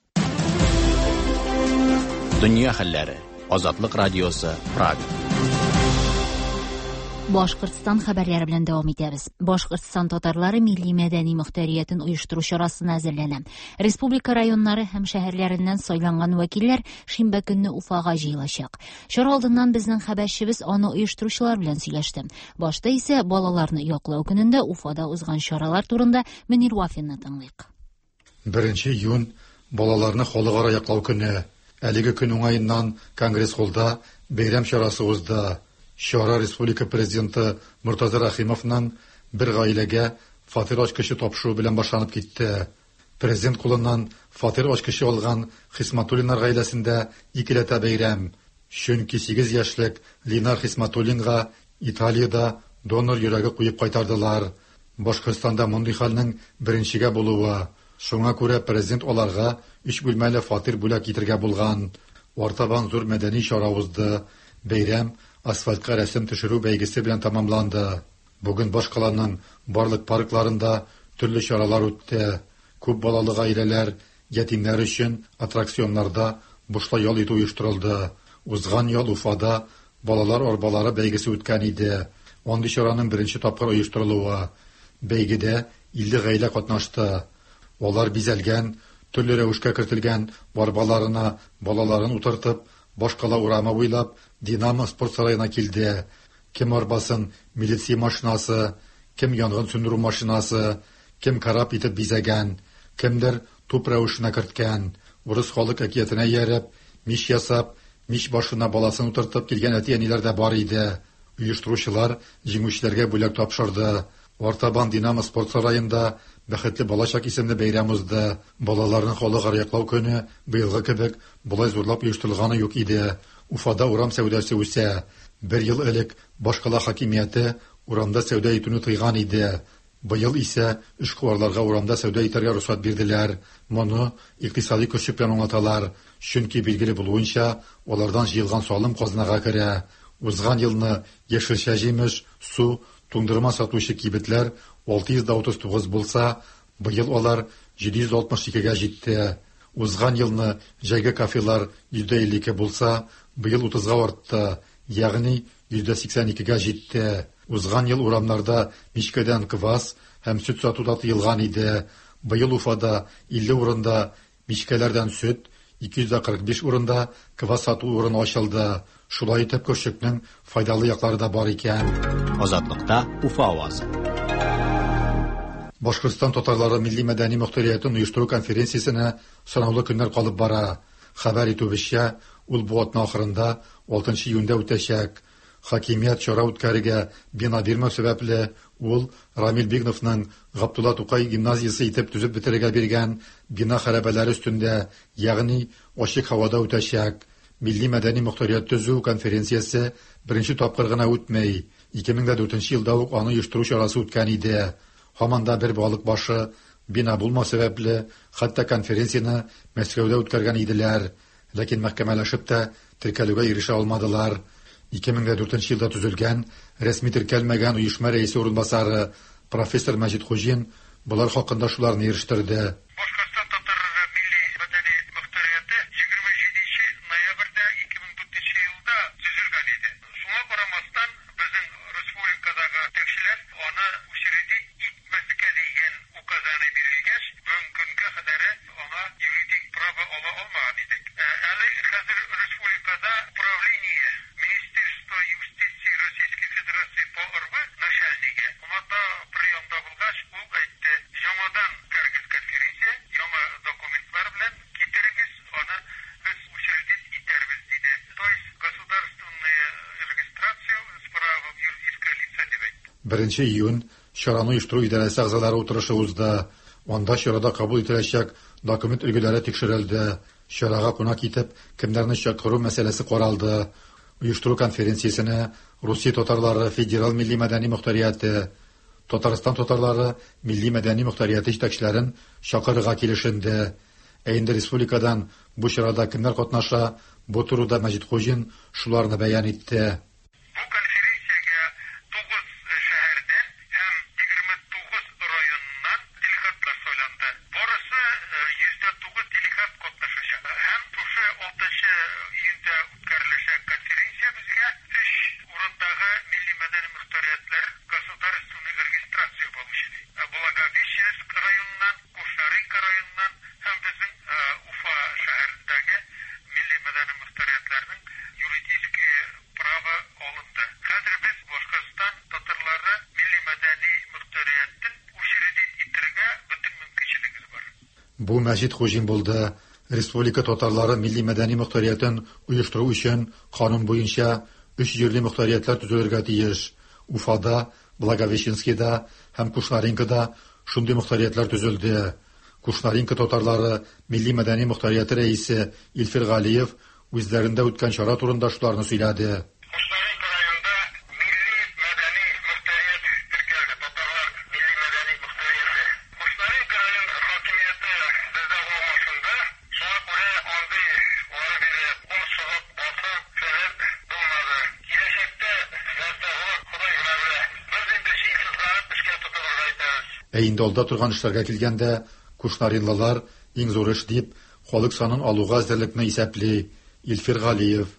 Дөнья хәлләре. Азатлык радиосы, Прага. Башкортстан хәбәрләре белән дәвам итәбез. Башкортстан татарлары милли мәдәни мөхтәриятен оештыру чарасына әзерләнә. Республика районнары һәм шәһәрләреннән сайланган вәкилләр шимбә көнне Уфага җыелачак. Чара алдыннан безнең хәбәрчебез аны оештыручылар белән сөйләште. Башта исә балаларны яклау көнендә Уфада узган чаралар турында Мөнир Вафинны тыңлыйк. Беренче июнь балаларны халыкара яклау көне. Әлеге көн уңаеннан Конгресс-холлда бәйрәм чарасы узды. Чара Республика президенты Муртаза Рахимовның бер гаиләгә фатир ачкычы тапшыру белән башланып китте. Президент кулыннан фатир ачкычы алган Хисматуллиннар гаиләсендә икеләтә бәйрәм. Чөнки сигез яшьлек Ленар Хисматуллинга Италиядә донор йөрәге куеп кайтардылар. Башкортстанда мондый хәлнең беренчегә булуы. Шуңа күрә президент аларга өч бүлмәле фатир бүләк итергә булган. Артабан зур мәдәни чара узды. Бәйрәм асфальтка рәсем төшерү бәйгесе белән тәмамланды. Бүген башкаланың барлык паркларында төрле чаралар үтте. Күп балалы гаиләләр, ятимнәр өчен аттракционнарда бушлай ял итү оештырылды. Узган ел Уфада балалар арбалары бәйгесе үткән иде. Андый чараның беренче тапкыр оештырылуы. Бәйгедә илле гаилә катнашты. Алар бизәлгән, төрле рәвешкә кертелгән арбаларына балаларын утыртып, башкала урамы буйлап Динамо спорт сараена килде. Кем арбасын милиция машинасы, кем янгын сүндерү машинасы, кем кораб итеп бизәгән, кемдер туп рәвешенә керткән. Урыс халык әкиятенә ияреп, мич ясап, мич башына баласын утыртып килгән әти-әниләр дә бар иде. Оештыручылар җиңүчеләргә бүләк тапшырды. Артабан Динамо спорт сараенда Бәхетле балачак исемле бәйрәм узды. Балаларны халыкара яклау көне быелгы кебек болай зурлап оештырылганы юк иде. Уфада урам сәүдәсе үсә. Бер ел элек башкала хакимияте урамда сәүдә итүне тыйган иде. Быел исә эшкуарларга урамда сәүдә итәргә рөхсәт бирделәр. Моны икътисади көчлек белән аңлаталар. Чөнки билгеле булуынча, алардан җыелган салым казнага керә. Узган елны яшелчә, җимеш, су, туңдырма сатучы кибетләр алты йөз утыз тугыз булса, быел алар җиде йөз алтмыш икегә җитте. Узган елны җәйге кафелар йөз илле ике булса, быел утызга артты, ягъни йөз сиксән икегә җитте. Узган ел урамнарда мичкәдән квас һәм сөт сату да тыелган иде. Быел Уфада илле урында мичкәләрдән сөт, ике йөз кырык биш урында квас сату урыны ачылды. Шулай итеп көршекнең файдалы яклары да бар икән. Азатлыкта Уфа авазы. Башкортстан татарлары милли мәдәни мохтариятен оештыру конференциясенә санаулы көннәр калып бара. Хәбәр итүебезчә, ул бу атна ахырында алтынчы июньдә үтәчәк. Хакимият чара үткәрергә бина бирмәү сәбәпле, ул Рамил Бигновның Габдулла Тукай гимназиясе итеп төзеп бетерергә биргән бина хәрабәләре өстендә, ягъни ачык һавада үтәчәк. Милли мәдәни мохтарият төзү конференциясе беренче тапкыр гына үтмәй. ике мең дүртенче елда ук аны оештыру чарасы үткән иде. Һаман да бер балык башы бина булмау сәбәпле, хәтта конференцияне Мәскәүдә үткәргән иделәр. Ләкин мәхкәмәләшеп тә теркәлүгә ирешә алмадылар. ике мең дүртенче елда төзелгән, рәсми теркәлмәгән оешма рәисе урынбасары профессор Мәҗит Хуҗин болар хакында шуларны ирештерде. Башкортстан татарлары милли мәдәни мохтарияте егерме җиденче ноябрьдә ике мең дүртенче елда төзелгән иде. Шуңа карамастан, безнең республикадагы җитәкчеләр аны учредить итмәскә дигән указаны бирелгәч, бүгенге көнгә кадәр аңа юридик право ала алмаган идек. Әле хәзер республикада управление Министерство юстиции Российской Федерации по РВ начальнигы монда приемда булгач, ул әйтте: "Яңадан үткәрегез конференция, яңа документлар белән китерегез, аны без учредить итәрбез", диде. То есть государственная регистрация с правом юридического лица дип әйтте. Беренче июнь чараны оештыру идарәсе әгъзалары утырышы узды. Анда чарада кабул ителәчәк документ өлгеләре тикшерелде. Чарага кунак итеп кемнәрне чакыру мәсьәләсе каралды. Оештыру конференциясенә Русия татарлары федераль милли мәдәни мохтарияте, Татарстан татарлары милли мәдәни мохтарияте җитәкчеләрен чакырырга килешенде. Ә инде республикадан бу чарада кемнәр катнаша, бу турыда Мәҗит Хуҗин шуларны бәян итте. Бу конференциягә тугыз шәһәрдән һәм егерме тугыз районнан делегатлар сайланды. Барысы йөз дә тугыз делегат катнашачак. Һәм шушы алтынчы июньдә үткәреләчәк конференция безгә өч урындагы милли мәдәни мохтариятләр государственный регистрация получили. Благовещенск районыннан, Кушнаренко районыннан һәм безнең Уфа шәһәрендәге милли мәдәни мохтариятләрнең юридический право алынды. Хәзер без Башкортстан татарлары милли мәдәни мохтариятен учредить итәргә бөтен мөмкинчелегебез бар. Бу Мәҗит Хуҗин булды. Республика татарлары милли мәдәни мохтариятен оештыру өчен канун буенча өч җирле мохтариятләр төзелергә тиеш. Уфада, Благовещенскида һәм Кушнаренкода шундый мохтариятләр төзелде. Кушнаренко татарлары милли мәдәни мохтарияте рәисе Илфир Галиев үзләрендә үткән чара турында шуларны сөйләде. Кушнаренко районында милли мәдәни мохтарият теркәлде, татарлар милли мәдәни мохтарияте. Кушнаренко район хакимияте бездә алмашынды. Шуңа күрә андый ары бире кул чыгып басу фәлән булмады. Киләчәктә нәрсә булыр, Ходай гына белә. Без инде җиң сызганып эшкә тотынырга итәбез. Ә инде алда торган эшләргә килгәндә, кушнаринлылар Иң зур эш дип халык санын алуга әзерлекне исәпли Илфир Галиев.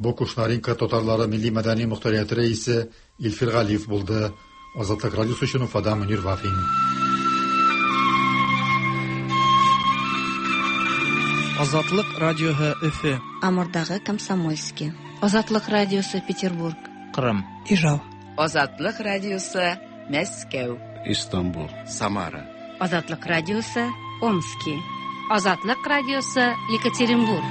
Бу Кушнаренко татарлары милли мәдәни мохтарияте рәисе Илфир Галиев булды. Азатлык радиосы өчен Уфадан Мөнир Вафин. Азатлык радиосы Өфе. Амурдагы Комсомольский. Азатлык радиосы Петербург. Кырым. Ижау. Азатлык радиосы Мәскәү. Истанбул. Самара. Азатлык радиосы Омский. Азатлык радиосы Екатеринбург.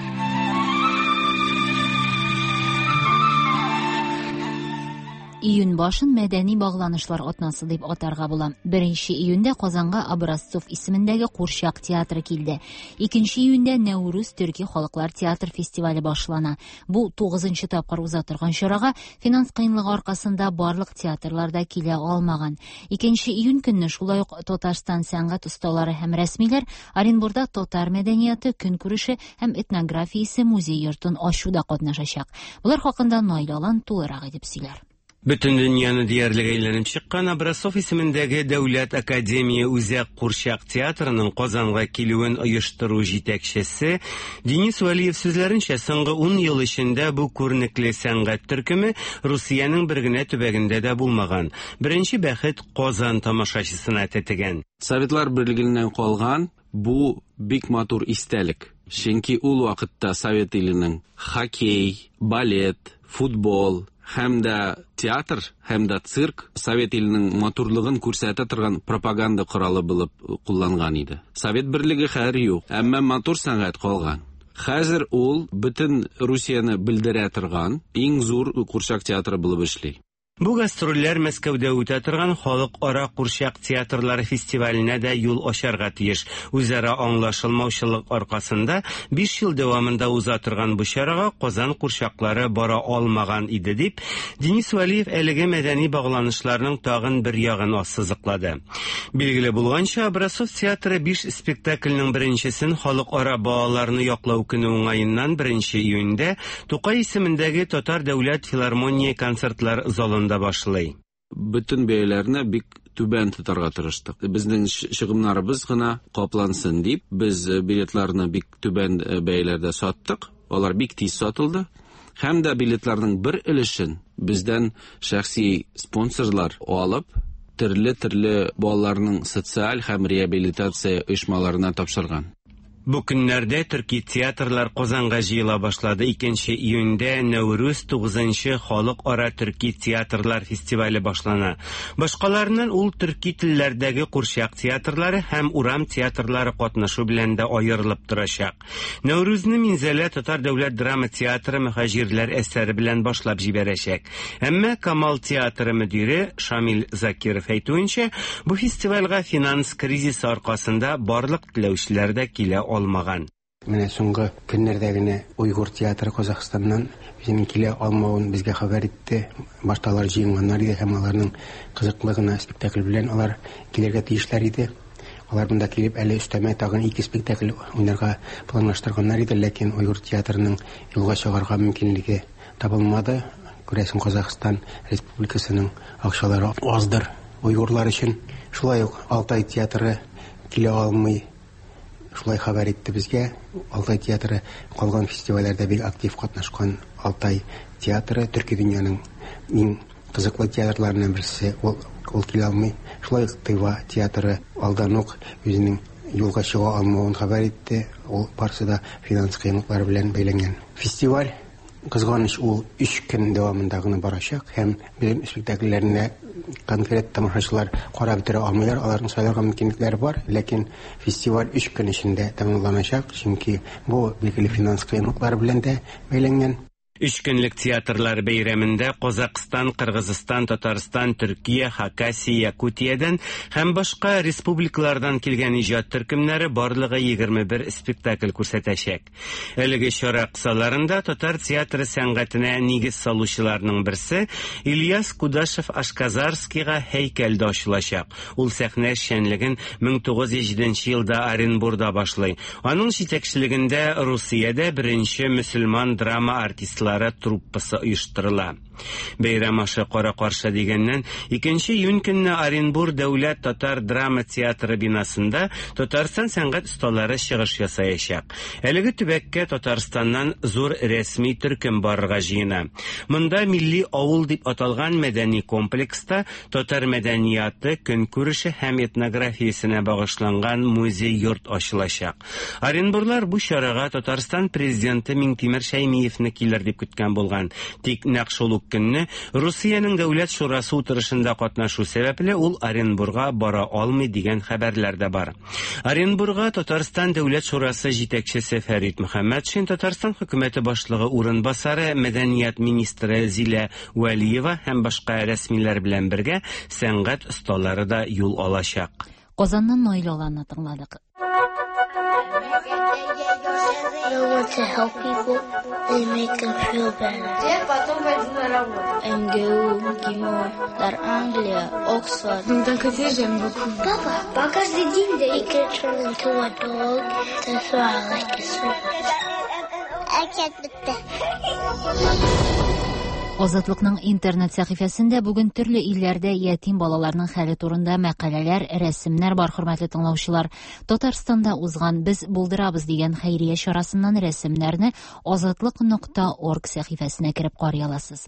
Июнь башын мәдәни багланышлар атнасы дип атарга була. Беренче июньдә Казанга Образцов исемендәге Курчак театры килде. Икенче июньдә Нәүрүз төрки халыклар театр фестивале башлана. Бу тугызынчы тапкыр уза торган чарага финанс кыенлыгы аркасында барлык театрлар да килә алмаган. Икенче июнь көнне шулай ук Татарстан сәнгать осталары һәм рәсмиләр Оренбурда татар мәдәнияте, көнкүреше һәм этнографиясе музей йортын ачуда катнашачак. Булар хакында Наил Алан тулырак итеп сөйләр. Бөтен дөньяны диярлек әйләнеп чыккан Образцов исемендәге Дәүләт академия үзәк курчак театрының Казанга килүен оештыру җитәкчесе Денис Вәлиев сүзләренчә, соңгы ун ел эчендә бу күренекле сәнгать төркеме Русиянең бер генә төбәгендә дә булмаган. Беренче бәхет Казан тамашачысына тәтегән. Советлар Берлегеннән калган бу бик матур истәлек. Чөнки ул вакытта Совет иленең хоккей, балет, футбол һәм дә театр, һәм дә цирк Совет иленең матурлыгын күрсәтә торган пропаганда коралы булып кулланган иде. Совет Берлеге хәзер юк, әмма матур сәнгать калган. Хәзер ул бөтен Русияне белдерә торган иң зур курчак театры булып эшли. Бу гастрольләр Мәскәүдә үтә торган халыкара курчак театрлары фестиваленә дә юл ачарга тиеш. Үзара аңлашылмаучылык аркасында биш ел дәвамында уза торган бу чарага Казан курчаклары бара алмаган иде дип Денис Вәлиев әлеге мәдәни багланышларның тагын бер ягын ассызыклады. Билгеле булганча, Образцов театры биш спектакльнең беренчесен халыкара балаларны яклау көне уңаеннан беренче июньдә Тукай исемендәге Татар дәүләт филармония концертлар залында башлый. Бөтен бәяләрне бик түбән тотарга тырыштык. Безнең чыгымнарыбыз гына каплансын дип, без билетларны бик түбән бәяләрдә саттык. Алар бик тиз сатылды. Һәм дә билетларның бер өлешен бездән шәхси спонсорлар алып, төрле-төрле балаларның социаль һәм реабилитация оешмаларына тапшырган. Бу көннәрдә төрки театрлар Казанга җыела башлады. Икенче июньдә Нәүрүз тугызынчы халыкара төрки театрлар фестивале башлана. Башкаларыннан ул төрки телләрдәге курчак театрлары һәм урам театрлары катнашу белән дә аерылып торачак. Нәүрүзне Минзәлә Татар дәүләт драма театры мөһаҗирләр әсәре белән башлап җибәрәчәк. Әмма Камал театры мөдире Шамил Закиров әйтүенчә, бу фестивальгә финанс кризисы аркасында барлык теләүчеләр дә килә алмаган. Менә соңгы көннәрдә генә Уйгур театры Казахстаннан үзенең килә алмавын безгә хәбәр итте. Башта алар җыенганнар иде һәм аларның кызыклы гына спектакль белән алар килергә тиешләр иде. Алар монда килеп әле өстәмә тагын ике спектакль уйнарга планлаштырганнар иде, ләкин Уйгур театрының юлга чыгарга мөмкинлеге табылмады. Күрәсең, Казахстан Республикасының акчалары аздыр уйгурлар өчен. Шулай ук Алтай театры килә алмый. Шулай хәбәр итте безгә. Алтай театры калган фестивальләрдә бик актив катнашкан Алтай театры төрки дөньяның иң кызыклы театрларыннан берсе, ул, ул килә алмый. Шулай ук Тыва театры алдан ук үзенең юлга чыга алмавын хәбәр итте. Ул барысы да финанс кыенлыклары белән бәйләнгән. Фестиваль кызганыч ул өч көн дәвамында гына барачак һәм бөтен спектакльләренә конкрет тамашачылар карап бетерә алмыйлар, аларның сайларга мөмкинлекләре бар, ләкин фестиваль өч көн эчендә тәмамланачак, чөнки бу билгеле финанс кыенлыклары белән дә бәйләнгән. Өч көнлек театрлар бәйрәмендә Казакъстан, Кыргызстан, Татарстан, Төркия, Хакасия, Якутиядән һәм башка республикалардан килгән иҗат төркемнәре барлыгы егерме бер спектакль күрсәтәчәк. Әлеге чара кысаларында татар театры сәнгатенә нигез салучыларның берсе Ильяс Кудашев Ашказарскийга һәйкәл дә ачылачак. Ул сәхнә эшчәнлеген мең тугыз йөз җиденче елда Оренбурда башлый. Аның җитәкчелегендә Русиядә беренче мөселман драма артистлары труппасы оештырыла. Бәйрәм ашы кара-каршы дигәннән, икенче июнь көнне Оренбур дәүләт татар драма театры бинасында Татарстан сәнгать осталары чыгыш ясаячак. Әлеге төбәккә Татарстаннан зур рәсми төркем барырга җыена. Монда милли авыл дип аталган мәдәни комплекста татар мәдәнияты, көнкүреше һәм этнографиясенә багышланган музей-йорт ачылачак. Оренбурлар бу чарага Татарстан президенты Миңтимер Шәймиевне килер дип көткән булган. Тик нәкъ шул ук көнне Русиянең Дәүләт шурасы утырышында катнашу сәбәпле ул Оренбурга бара алмый дигән хәбәрләр дә бар. Оренбурга Татарстан Дәүләт шурасы җитәкчесе Фәрит Мөхәммәтшин, Татарстан хөкүмәте башлыгы урынбасары, мәдәният министры Зилә Вәлиева һәм башка рәсмиләр белән бергә сәнгать осталары да юл алачак. Казаннан Наил Аланны тыңладык. I want to help people and make them feel better. МГУ, МГИМО, Дар Англия, Оксфорд. D'un côté, j'aime beaucoup. Папа, по каждый день they can turn into a dog. That's why I like it so much. I can't with that. Азатлыкның интернет сәхифәсендә бүген төрле илләрдә ятим балаларның хәле турында мәкаләләр, рәсемнәр бар, хөрмәтле тыңлаучылар. Татарстанда узган Без булдырабыз дигән хәйрия чарасыннан рәсемнәрне азатлык нокта орг сәхифәсенә кереп карый аласыз.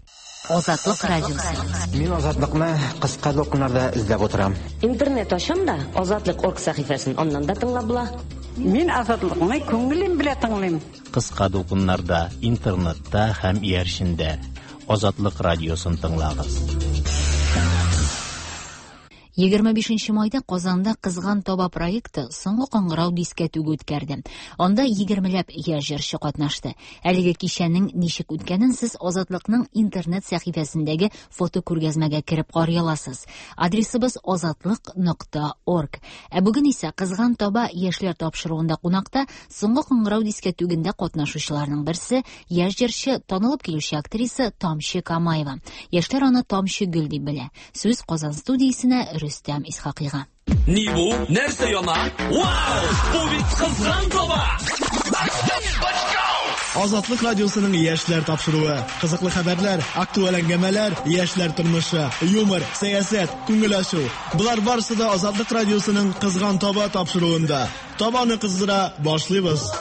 Азатлык радиосы. Мин Азатлыкны кыска дулкыннарда эзләп утырам. Интернет ачам да Азатлык орг сәхифәсен аннан да тыңлап була. Мин Азатлыкны күңелем белән тыңлыйм. Кыска дулкыннарда, интернетта һәм иярчендә Азатлык радиосын тыңлагыз. Егерме бишенче майда Казанда Кызган таба проекты соңгы кыңгырау дискәтүге үткәрде. Анда егермеләп яшь җырчы катнашты. Әлеге кичәнең ничек үткәнен сез Азатлыкның интернет сәхифәсендәге фото күргәзмәгә кереп карый аласыз. Адресыбыз азатлык нокта орг. Ә бүген исә Кызган таба яшьләр тапшыруында кунакта соңгы кыңгырау дискәтүгендә катнашучыларның берсе яшь җырчы, танылып килүче актриса Тамчы Камаева. Яшьләр аны Тамчы Гөл дип белә. Сүз Казан студиясенә Рөстәм Исхакыйга. Ни бу? Нәрсә яна? Вау! Бу бит Кызган таба! Азатлык радиосының яшьләр тапшыруы. Кызыклы хәбәрләр, актуаль әңгәмәләр, яшьләр тормышы, юмор, сәясәт, күңел ачу. Болар барысы да Азатлык радиосының Кызган таба тапшыруында. Табаны кыздыра башлыйбыз.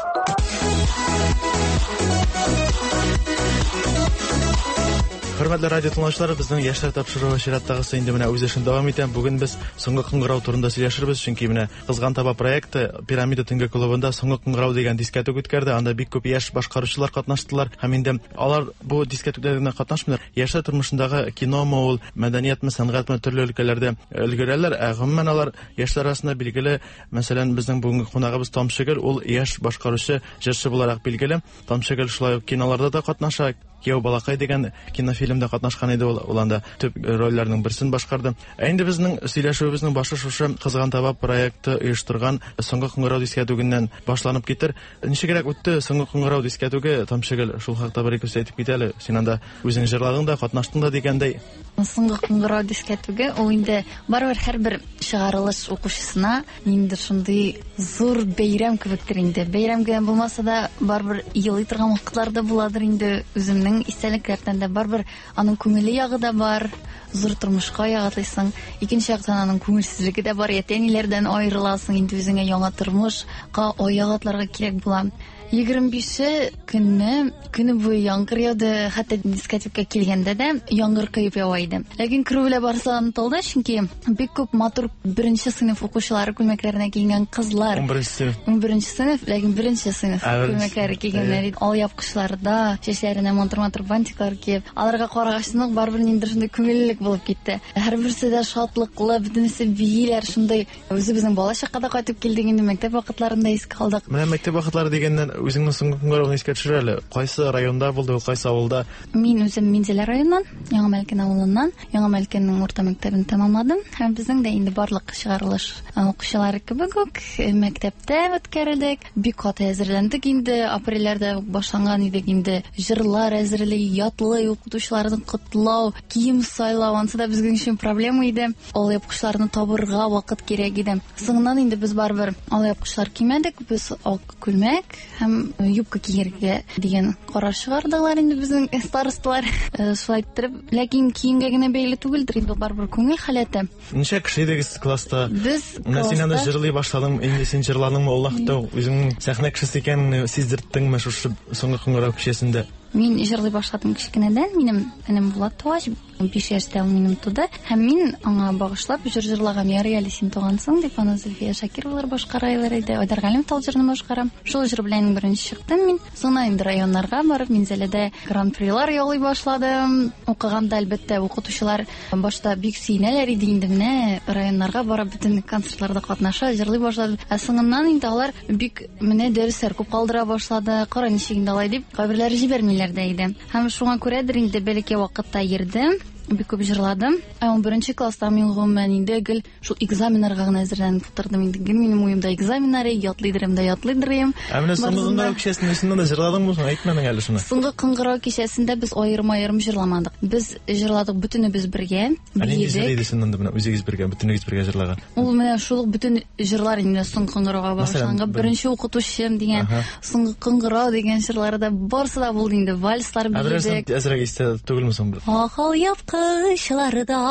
Хөрмәтле радио тыңлаучылар, безнең яшьләр тапшыруы чираттагысы инде менә үз эшен дәвам итә. Бүген без соңгы кыңгырау турында сөйләшербез, чөнки менә Кызган таба проекты Пирамида төнге клубында соңгы кыңгырау дигән дискәтүк үткәрде. Анда бик күп яшь башкаручылар катнаштылар һәм инде алар бу дискәтүкләрдә генә катнашмыйлар. Яшьләр тормышындагы киномы ул, мәдәниятме, сәнгатьме төрле өлкәләрдә өлгерәләр. Ә гомумән алар яшьләр арасында билгеле, мәсәлән, безнең бүгенге кунагыбыз Тамчыгөл, ул яшь башкаручы, җырчы буларак билгеле. Тамчыгөл шулай ук киноларда да катнаша. Кияү балакай дигән кинофильмда катнашкан иде ул, ул анда төп рольләрнең берсен башкарды. Ә инде безнең сөйләшүебезнең башы шушы Кызган таба проекты оештырган соңгы кыңгырау дискәтүгеннән башланып китер. Ничегрәк үтте соңгы кыңгырау дискәтүге, Тамчыгөл, шул хакта бер ике сүз әйтеп кит әле. Син анда үзең җырладың да, катнаштың да дигәндәй. Соңгы кыңгырау дискәтүге ул инде барыбер һәрбер чыгарылыш укучысына ниндидер шундый зур бәйрәм кебектер инде. Бәйрәм генә булмаса да барыбер елый торган вакытлар да буладыр инде. Үземнең истәлекләрдән дә барыбер аның күңелле ягы да бар, зур тормышка ягатлыйсың. Икенче яктан аның күңелсезлеге дә бар, әти-әниләрдән аерыласың, инде үзеңә яңа тормышка аяк атларга кирәк була. Егерме бише көнне көне буе яңгыр яуды, хәтта дискотекка килгәндә дә яңгыр коеп ява иде. Ләкин керү белән барысы онытылды, чөнки бик күп матур беренче сыйныф укучылары күлмәкләренә киенгән кызлар. Унберенче сыйныф. Унберенче сыйныф, ләкин беренче сыйныф күлмәкләре кигәннәр иде. Алъяпкычларда, чәчләренә матур-матур бантиклар киеп, аларга карагачтан ук барыбер ниндидер шундый күңеллелек булып китте. Һәрберсе дә шатлыклы, бөтенесе бииләр, шундый. Үзебезнең бала чакка да кайтып килдек инде, мәктәп вакытларында искә алдык. Менә мәктәп вакытлары дигәннән үзеңнең соңгы кыңгырауны искә төшер әле. Кайсы районда булды ул, кайсы авылда? Мин үзем Минзәлә районыннан, Яңа Мәлкән авылыннан, Яңа Мәлкәннең урта мәктәбен тәмамладым. Һәм безнең дә инде барлык чыгарылыш укучылары кебек үк мәктәптә үткәрелдек. Бик каты әзерләндек инде, апрельләрдә башланган идек инде. Җырлар әзерли, ятлый, укытучыларны котлау, кием сайлау, ансы да безнең өчен проблема иде. Алъяпкычларны табырга вакыт кирәк иде. Соңыннан инде без барыбер алъяпкычлар кимәдек, без ак күлмәк һәм юбка кияргә дигән карар чыгардылар инде безнең старосталар. Шулай иттереп, ләкин киемгә генә бәйле түгелдер инде, барыбер күңел халәте. Ничә кеше идегез класста? Без Менә син анда җырлый башладың, инде син җырладыңмы, ул вакытта үзеңнең сәхнә кешесе икәнеңне сиздерттеңме шушы соңгы кыңгырау кичәсендә? Мин җырлый башладым кечкенәдән. Минем энем Булат тугач, биш яшьтә ул минем туды. Һәм мин аңа багышлап җыр җырлаган. Ярый әле син тугансың дип, аны Зөлфия Шакировалар башкарайлар иде. Айдар Галимов тал җырны башкара. Шул җыр белән беренче чыктым мин. Соңыннан инде районнарга барып, Минзәләдә гран-прилар яулый башладым. Укыганда, әлбәттә, укытучылар башта бик сөенәләр иде инде, менә районнарга барып бөтен концертларда катнаша, җырлый башладым. Ә соңыннан инде алар бик менә дәресләр күп калдыра башлады. Кара ничек инде алай дип, кайберләре җибәрмиләр дә иде. Һәм шуңа күрәдер инде бәләкәй вакытта йөрдем, бик күп җырладым. Ә унберенче класста мин гомумән инде гел шул экзаменнарга гына әзерләнеп утырдым инде. Гел минем уемда экзаменнар, ятлыйдырым да ятлыйдырым. Ә менә соңгы кыңгырау кичәсендә син дә җырладыңмы соң? Әйтмәдең әле шуны. Соңгы кыңгырау кичәсендә без аерым-аерым җырламадык. Без җырладык бөтенебез бергә. Ә нинди җыр иде син анда менә үзегез бергә, бөтенегез бергә җырлаган? Ул менә шул ук бөтен җырлар инде соңгы кыңгырауга багышланган. Беренче укытучым дигән, соңгы кыңгырау дигән җырлары да барысы да булды инде. Вальслар биедек. Әзрәк истә түгелме соң? Акыл япкычларда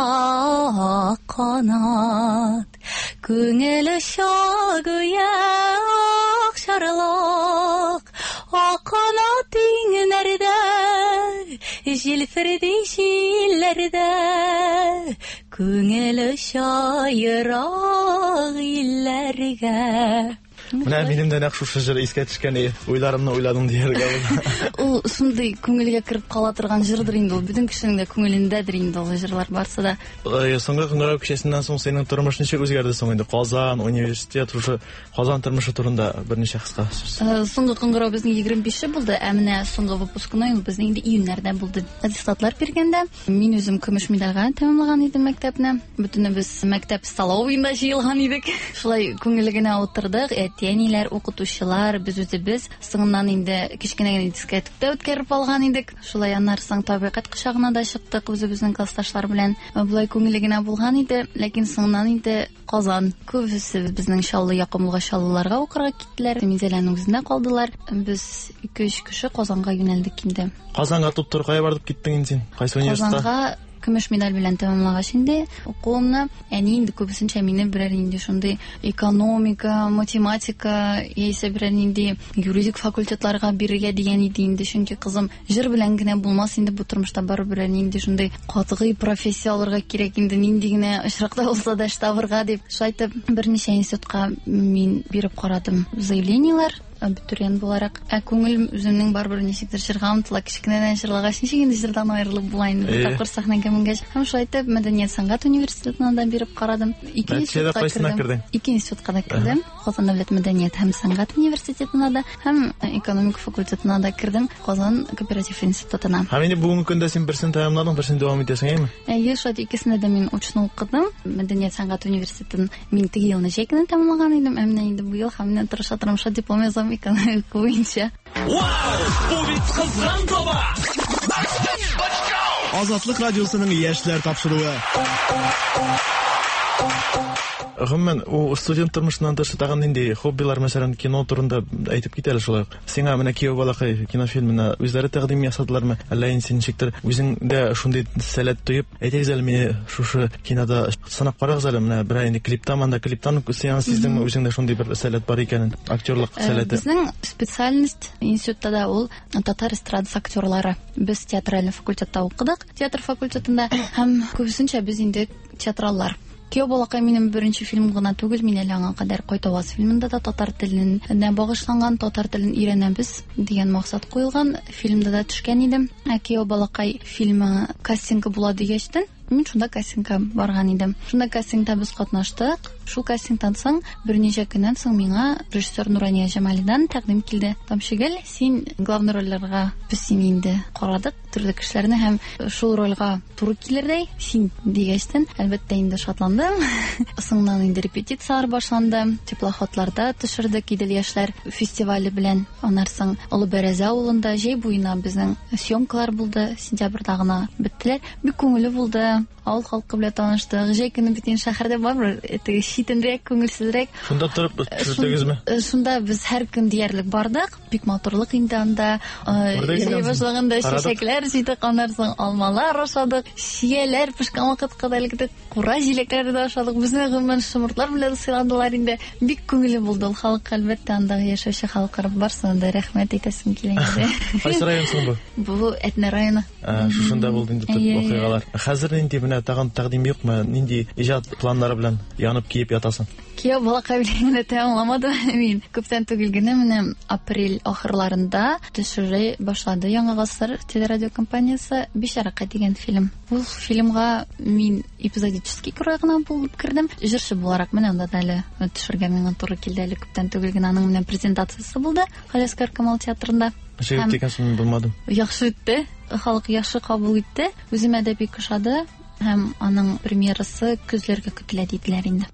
канат, күңел оча гүя акчарлак, ак канат иңнәрдә, җилферди җилләрдә, күңел оча ерак илләргә. Менә минем дә нәкъ шушы җыр искә төшкән, уйларымны уйладың дияргә була. Ул шундый күңелгә кереп кала торган җырдыр инде ул. Бөтен кешенең дә күңелендәдер инде ул җырлар барсы да. Соңгы кыңгырау кичәсеннән соң синең тормыш ничек үзгәрде соң инде? Казан, университет, шушы Казан тормышы турында берничә кыска сүз. Соңгы кыңгырау безнең егерме бише булды, ә менә соңгы выпускной ул безнең инде июньнәрдә булды. Аттестатлар биргәндә мин үзем көмеш медальгә тәмамлаган идем мәктәпне. Бөтенебез мәктәп столовыйында җыелган идек. Шулай күңелле генә утырдык. Әти-әниләр, укытучылар, без үзебез. Соңыннан инде кечкенә генә дискотека үткәреп алган идек. Шулай аннары соң табигать кочагына да чыктык үзебезнең классташлар белән. Болай күңелле генә булган иде, ләкин соңыннан инде Казан. Күбесе безнең Чаллы якын булган Чаллыларга укырга киттеләр, Минзәләнең үзендә калдылар. Без ике-өч кеше Казанга юнәлдек инде. Казанга туп-туры кая барып киттең инде син? Кайсы университетта? Казанга көмеш медаль белән тәмамлагач инде укуымны, әни инде күбесенчә мине берәр инде шундый экономика, математика яисә берәр нинди юридик факультетларга бирергә дигән иде инде, чөнки кызым җыр белән генә булмас инде бу тормышта, барыбер берәр нинди шундый катгый профессия алырга кирәк инде, нинди генә очракта булса да эш табырга дип. Шулай итеп берничә институтка мин биреп карадым заявлениеләр абитуриент буларак. Ә күңел үземнең барыбер ничектер җырга омтыла, кечкенәдән җырлагач ничек инде җырдан аерылып була инде, бер тапкыр сәхнәгә менгәч. Һәм шулай итеп мәдәният сәнгать университетына да биреп карадым. Ике институтка кердем. Ике институтка да кердем. Казан дәүләт мәдәният һәм сәнгать университетына да һәм экономика факультетына да кердем, Казан кооператив институтына. Һәм инде бүгенге көндә син берсен тәмамладың, берсен дәвам итәсең, әйеме? Әйе, шулай икесендә дә мин очно укыдым. Мәдәният сәнгать университетын мин теге елны җәй көне тәмамлаган идем, ә менә инде бу ел һәм менә тырыша тырыша диплом язам экономика буенча. Вау! Бу бит кызган таба! Азатлык радиосының яшьләр тапшыруы. Гомумән, ул студент тормышыннан тыш тагын нинди хоббилар, мәсәлән, кино турында әйтеп кит әле шулай ук. Сиңа менә Кияү балакай кинофильмына үзләре тәкъдим ясадылармы? Әллә инде син ничектер үзең дә шундый сәләт тоеп, әйтегез әле мине шушы кинода сынап карагыз әле, менә берәр инде клиптан, анда клиптан син сиздеңме үзеңдә шундый бер сәләт бар икәнен, актерлык сәләте? Безнең специальность институтта да ул татар эстрадасы актерлары. Без театральный факультетта укыдык, театр факультетында, һәм күбесенчә без инде театраллар. Кияү балакай минем беренче фильм гына түгел, мин әле аңа кадәр Кайтаваз фильмында да татар теленә багышланган, татар телен өйрәнәбез дигән максат куелган фильмда да төшкән идем. Ә Кияү балакай фильмы кастингы була дигәчтен, Мин шунда кастингка барган идем. Шунда кастингта без катнаштык. Шул кастингтан соң берничә көннән соң миңа режиссер Нурания Җамалидан тәкъдим килде. Тамчыгөл, син главный рольләргә без сине инде карадык, төрле кешеләрне һәм шул рольгә туры килердәй син дигәчтен, әлбәттә инде шатландым. Соңыннан инде репетицияләр башланды. Теплоходларда төшердек Идел яшьләр фестивале белән. Аннан соң Олы Бәрәзә авылында җәй буена безнең съемкалар булды. Сентябрьдә гына беттеләр. Бик күңелле булды. Авыл халкы белән таныштык. Җәй көне бит инде шәһәрдә барбер теге читенрәк, күңелсезрәк. Шунда торып төшердегезме? Шунда без һәр көн диярлек бардык. Бик матурлык инде анда. Җәй башлаганда чәчәкләр җыйдык, аннан соң алмалар ашадык, чияләр пешкән вакытка да электек, кура җиләкләре дә ашадык. Безне гомумән шомыртлар белән сыйладылар инде. Бик күңелле булды ул халык, әлбәттә, андагы яшәүче халыкка барсына да рәхмәт әйтәсем килә инде. Кайсы район соң бу? Бу Әтнә районы. Шушында булды инде төп вакыйгалар. Хәзер нинди менә тагын тәкъдим юкмы? Нинди иҗат планнары белән янып киеп ятасың? Кияү балакай белән генә тәмамламадым мин. Күптән түгел генә менә апрель ахырларында төшерә башлады Яңа гасыр телерадиокомпаниясе Бичаракай дигән фильм. Бу фильмга мин эпизодический роль гына булып кердем. Җырчы буларак менә анда да әле төшергә миңа туры килде. Әле күптән түгел генә аның менә презентациясе булды Галиәсгар Камал театрында. Ничек үтте икән соң, булмадым? Яхшы үтте. Халык яхшы кабул итте. Үземә дә бик ошады. Һәм аның премьерасы көзләргә көтелә диделәр инде.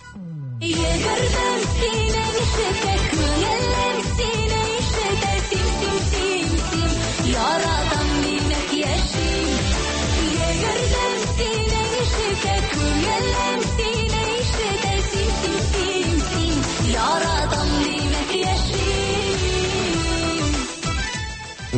Йөгердем сине ишетә, күңелем сине ишетә, син, син, син, син, яратам димәк яшим. Йөгердем сине ишетә, күңелем сине ишетә, син, син, син, син, яратам димәк яшим.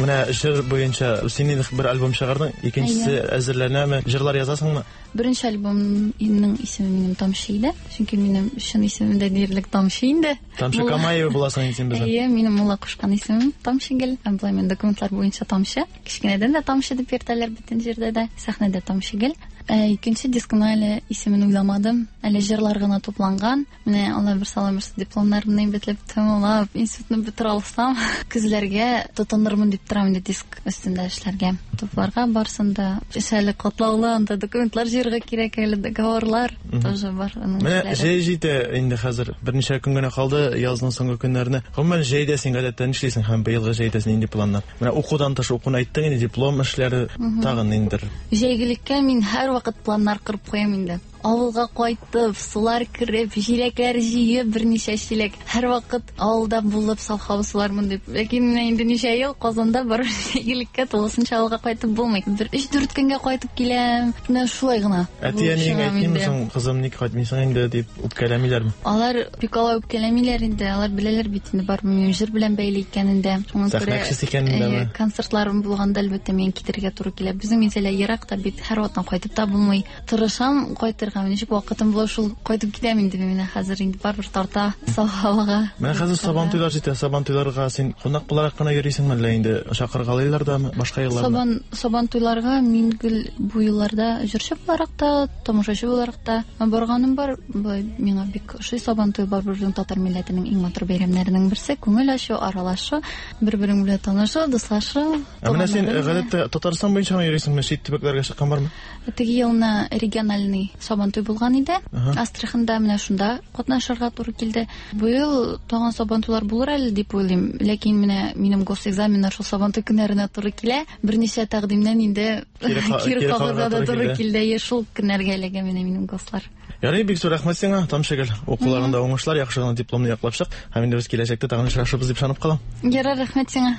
Менә җыр буенча син инде бер альбом чыгардың, икенчесе әзерләнәме? Җырлар язасыңмы? Беренче альбомның исеме минем Тамчы иде. Чөнки минем чын исемем дә диярлек Тамчы инде. Тамчы Камаева буласың инде син безнең. Әйе, минем мулла кушкан исемем Тамчыгөл. Һәм болай мин документлар буенча Тамчы. Кечкенәдән дә Тамчы дип йөртәләр бөтен җирдә дә. Сәхнәдә Тамчыгөл. Ә, икенче дискны әле исемен уйламадым. Әле җырлар гына тупланган. Менә Алла бер сала бирсә, дипломнарымны бетләп тәмамлап, институтны бетерә алсам, көзләргә тотынырмын дип торам инде диск өстендә эшләргә. Тупларга барсын да. Эш әле катлаулы, анда документлар җыярга кирәк әле, договорлар тоже бар. Менә җәй җитә инде хәзер. Берничә көн генә калды язның соңгы көннәренә. Гомумән җәйдә син гадәттә нишлисең һәм быелгы җәйдә нинди планнар? Менә укудан тыш укуны әйттең инде, диплом эшләре тагын ниндидер. Җәйгелеккә мин һәр вакыт планнар корып куям инде. Авылга кайтып, сулар кереп, җиләкләр җыеп, берничә чиләк. Һәр вакыт авылда булып, саф һава сулармын дип. Ләкин менә инде ничә ел Казанда барып җәйгелеккә тулысынча авылга кайтып булмый. Бер өч-дүрт көнгә кайтып киләм. Менә шулай гына. Әти-әниең әйтмиме соң, кызым, ник кайтмыйсың инде дип үпкәләмиләрме? Алар бик алай үпкәләмиләр инде. Алар беләләр бит инде барыбер минем җыр белән бәйле икәнен дә. Шуңа күрә концертларым булганда әлбәттә мин китергә туры килә. Безнең Минзәлә ерак та бит, һәр вакыттан кайтып та булмый. Тырышам кайтырга. Ничек вакытым була, шул кайтып китәм инде мин хәзер инде барыбер тарта саф һавага. Менә хәзер Сабантуйлар җитә. Сабантуйларга син кунак буларак кына йөрисеңме әллә инде чакыргалыйлар дамы башка елларда? Сабан Сабантуйларга мин гел бу елларда җырчы буларак та, тамашачы буларак та барганым бар. Миңа бик ошый Сабантуй, барыбер безнең татар милләтенең иң матур бәйрәмнәренең берсе. Күңел ачу, аралашу, бер-берең белән танышу, дуслашу. Ә менә син гадәттә Татарстан буенча гына йөрисеңме, чит төбәкләргә чыккан бармы? Теге елны региональный Сабантуй булган иде. Астраханда менә шунда катнашырга туры килде. Быел тагын Сабантуйлар булыр әле дип уйлыйм. Ләкин менә минем госэкзаменнар шул Сабантуй көннәренә туры килә. Берничә тәкъдимнән инде кире кагырга да туры килде. Шул көннәргә эләгә менә минем гослар. Ярый, бик зур рәхмәт сиңа, Тамчыгөл. Укуларыңда уңышлар, яхшы гына дипломны яклап чык. Һәм инде без киләчәктә тагын очрашырбыз дип ышанып калам. Ярар, рәхмәт сиңа.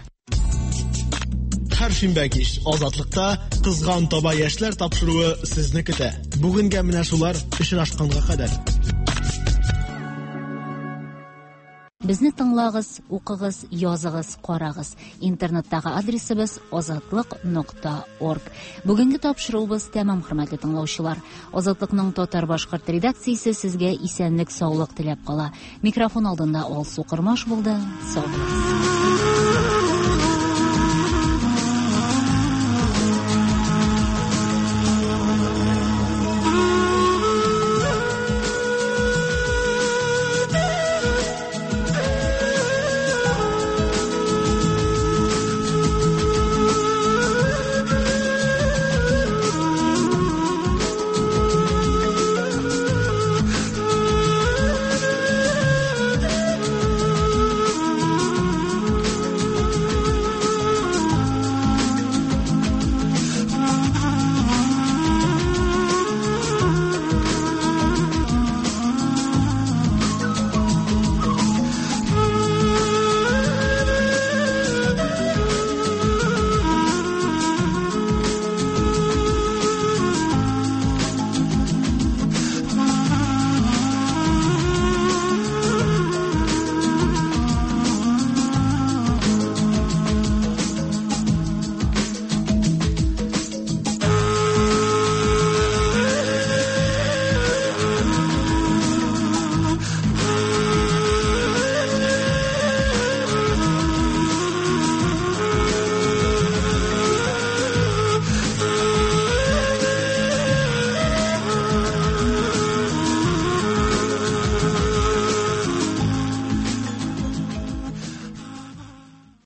Һәр шимбә кич Азатлыкта Кызган таба яшьләр тапшыруы сезне көтә. Бүгенгә менә шулар, очрашканга кадәр. Безне тыңлагыз, укыгыз, языгыз, карагыз. Интернеттагы адресыбыз азатлык нокта орг. Бүгенге тапшыруыбыз тәмам, хөрмәтле тыңлаучылар. Азатлыкның татар-башкорт редакциясе сезгә исәнлек, саулык теләп кала. Микрофон алдында Алсу Кормаш булды. Сау булыгыз.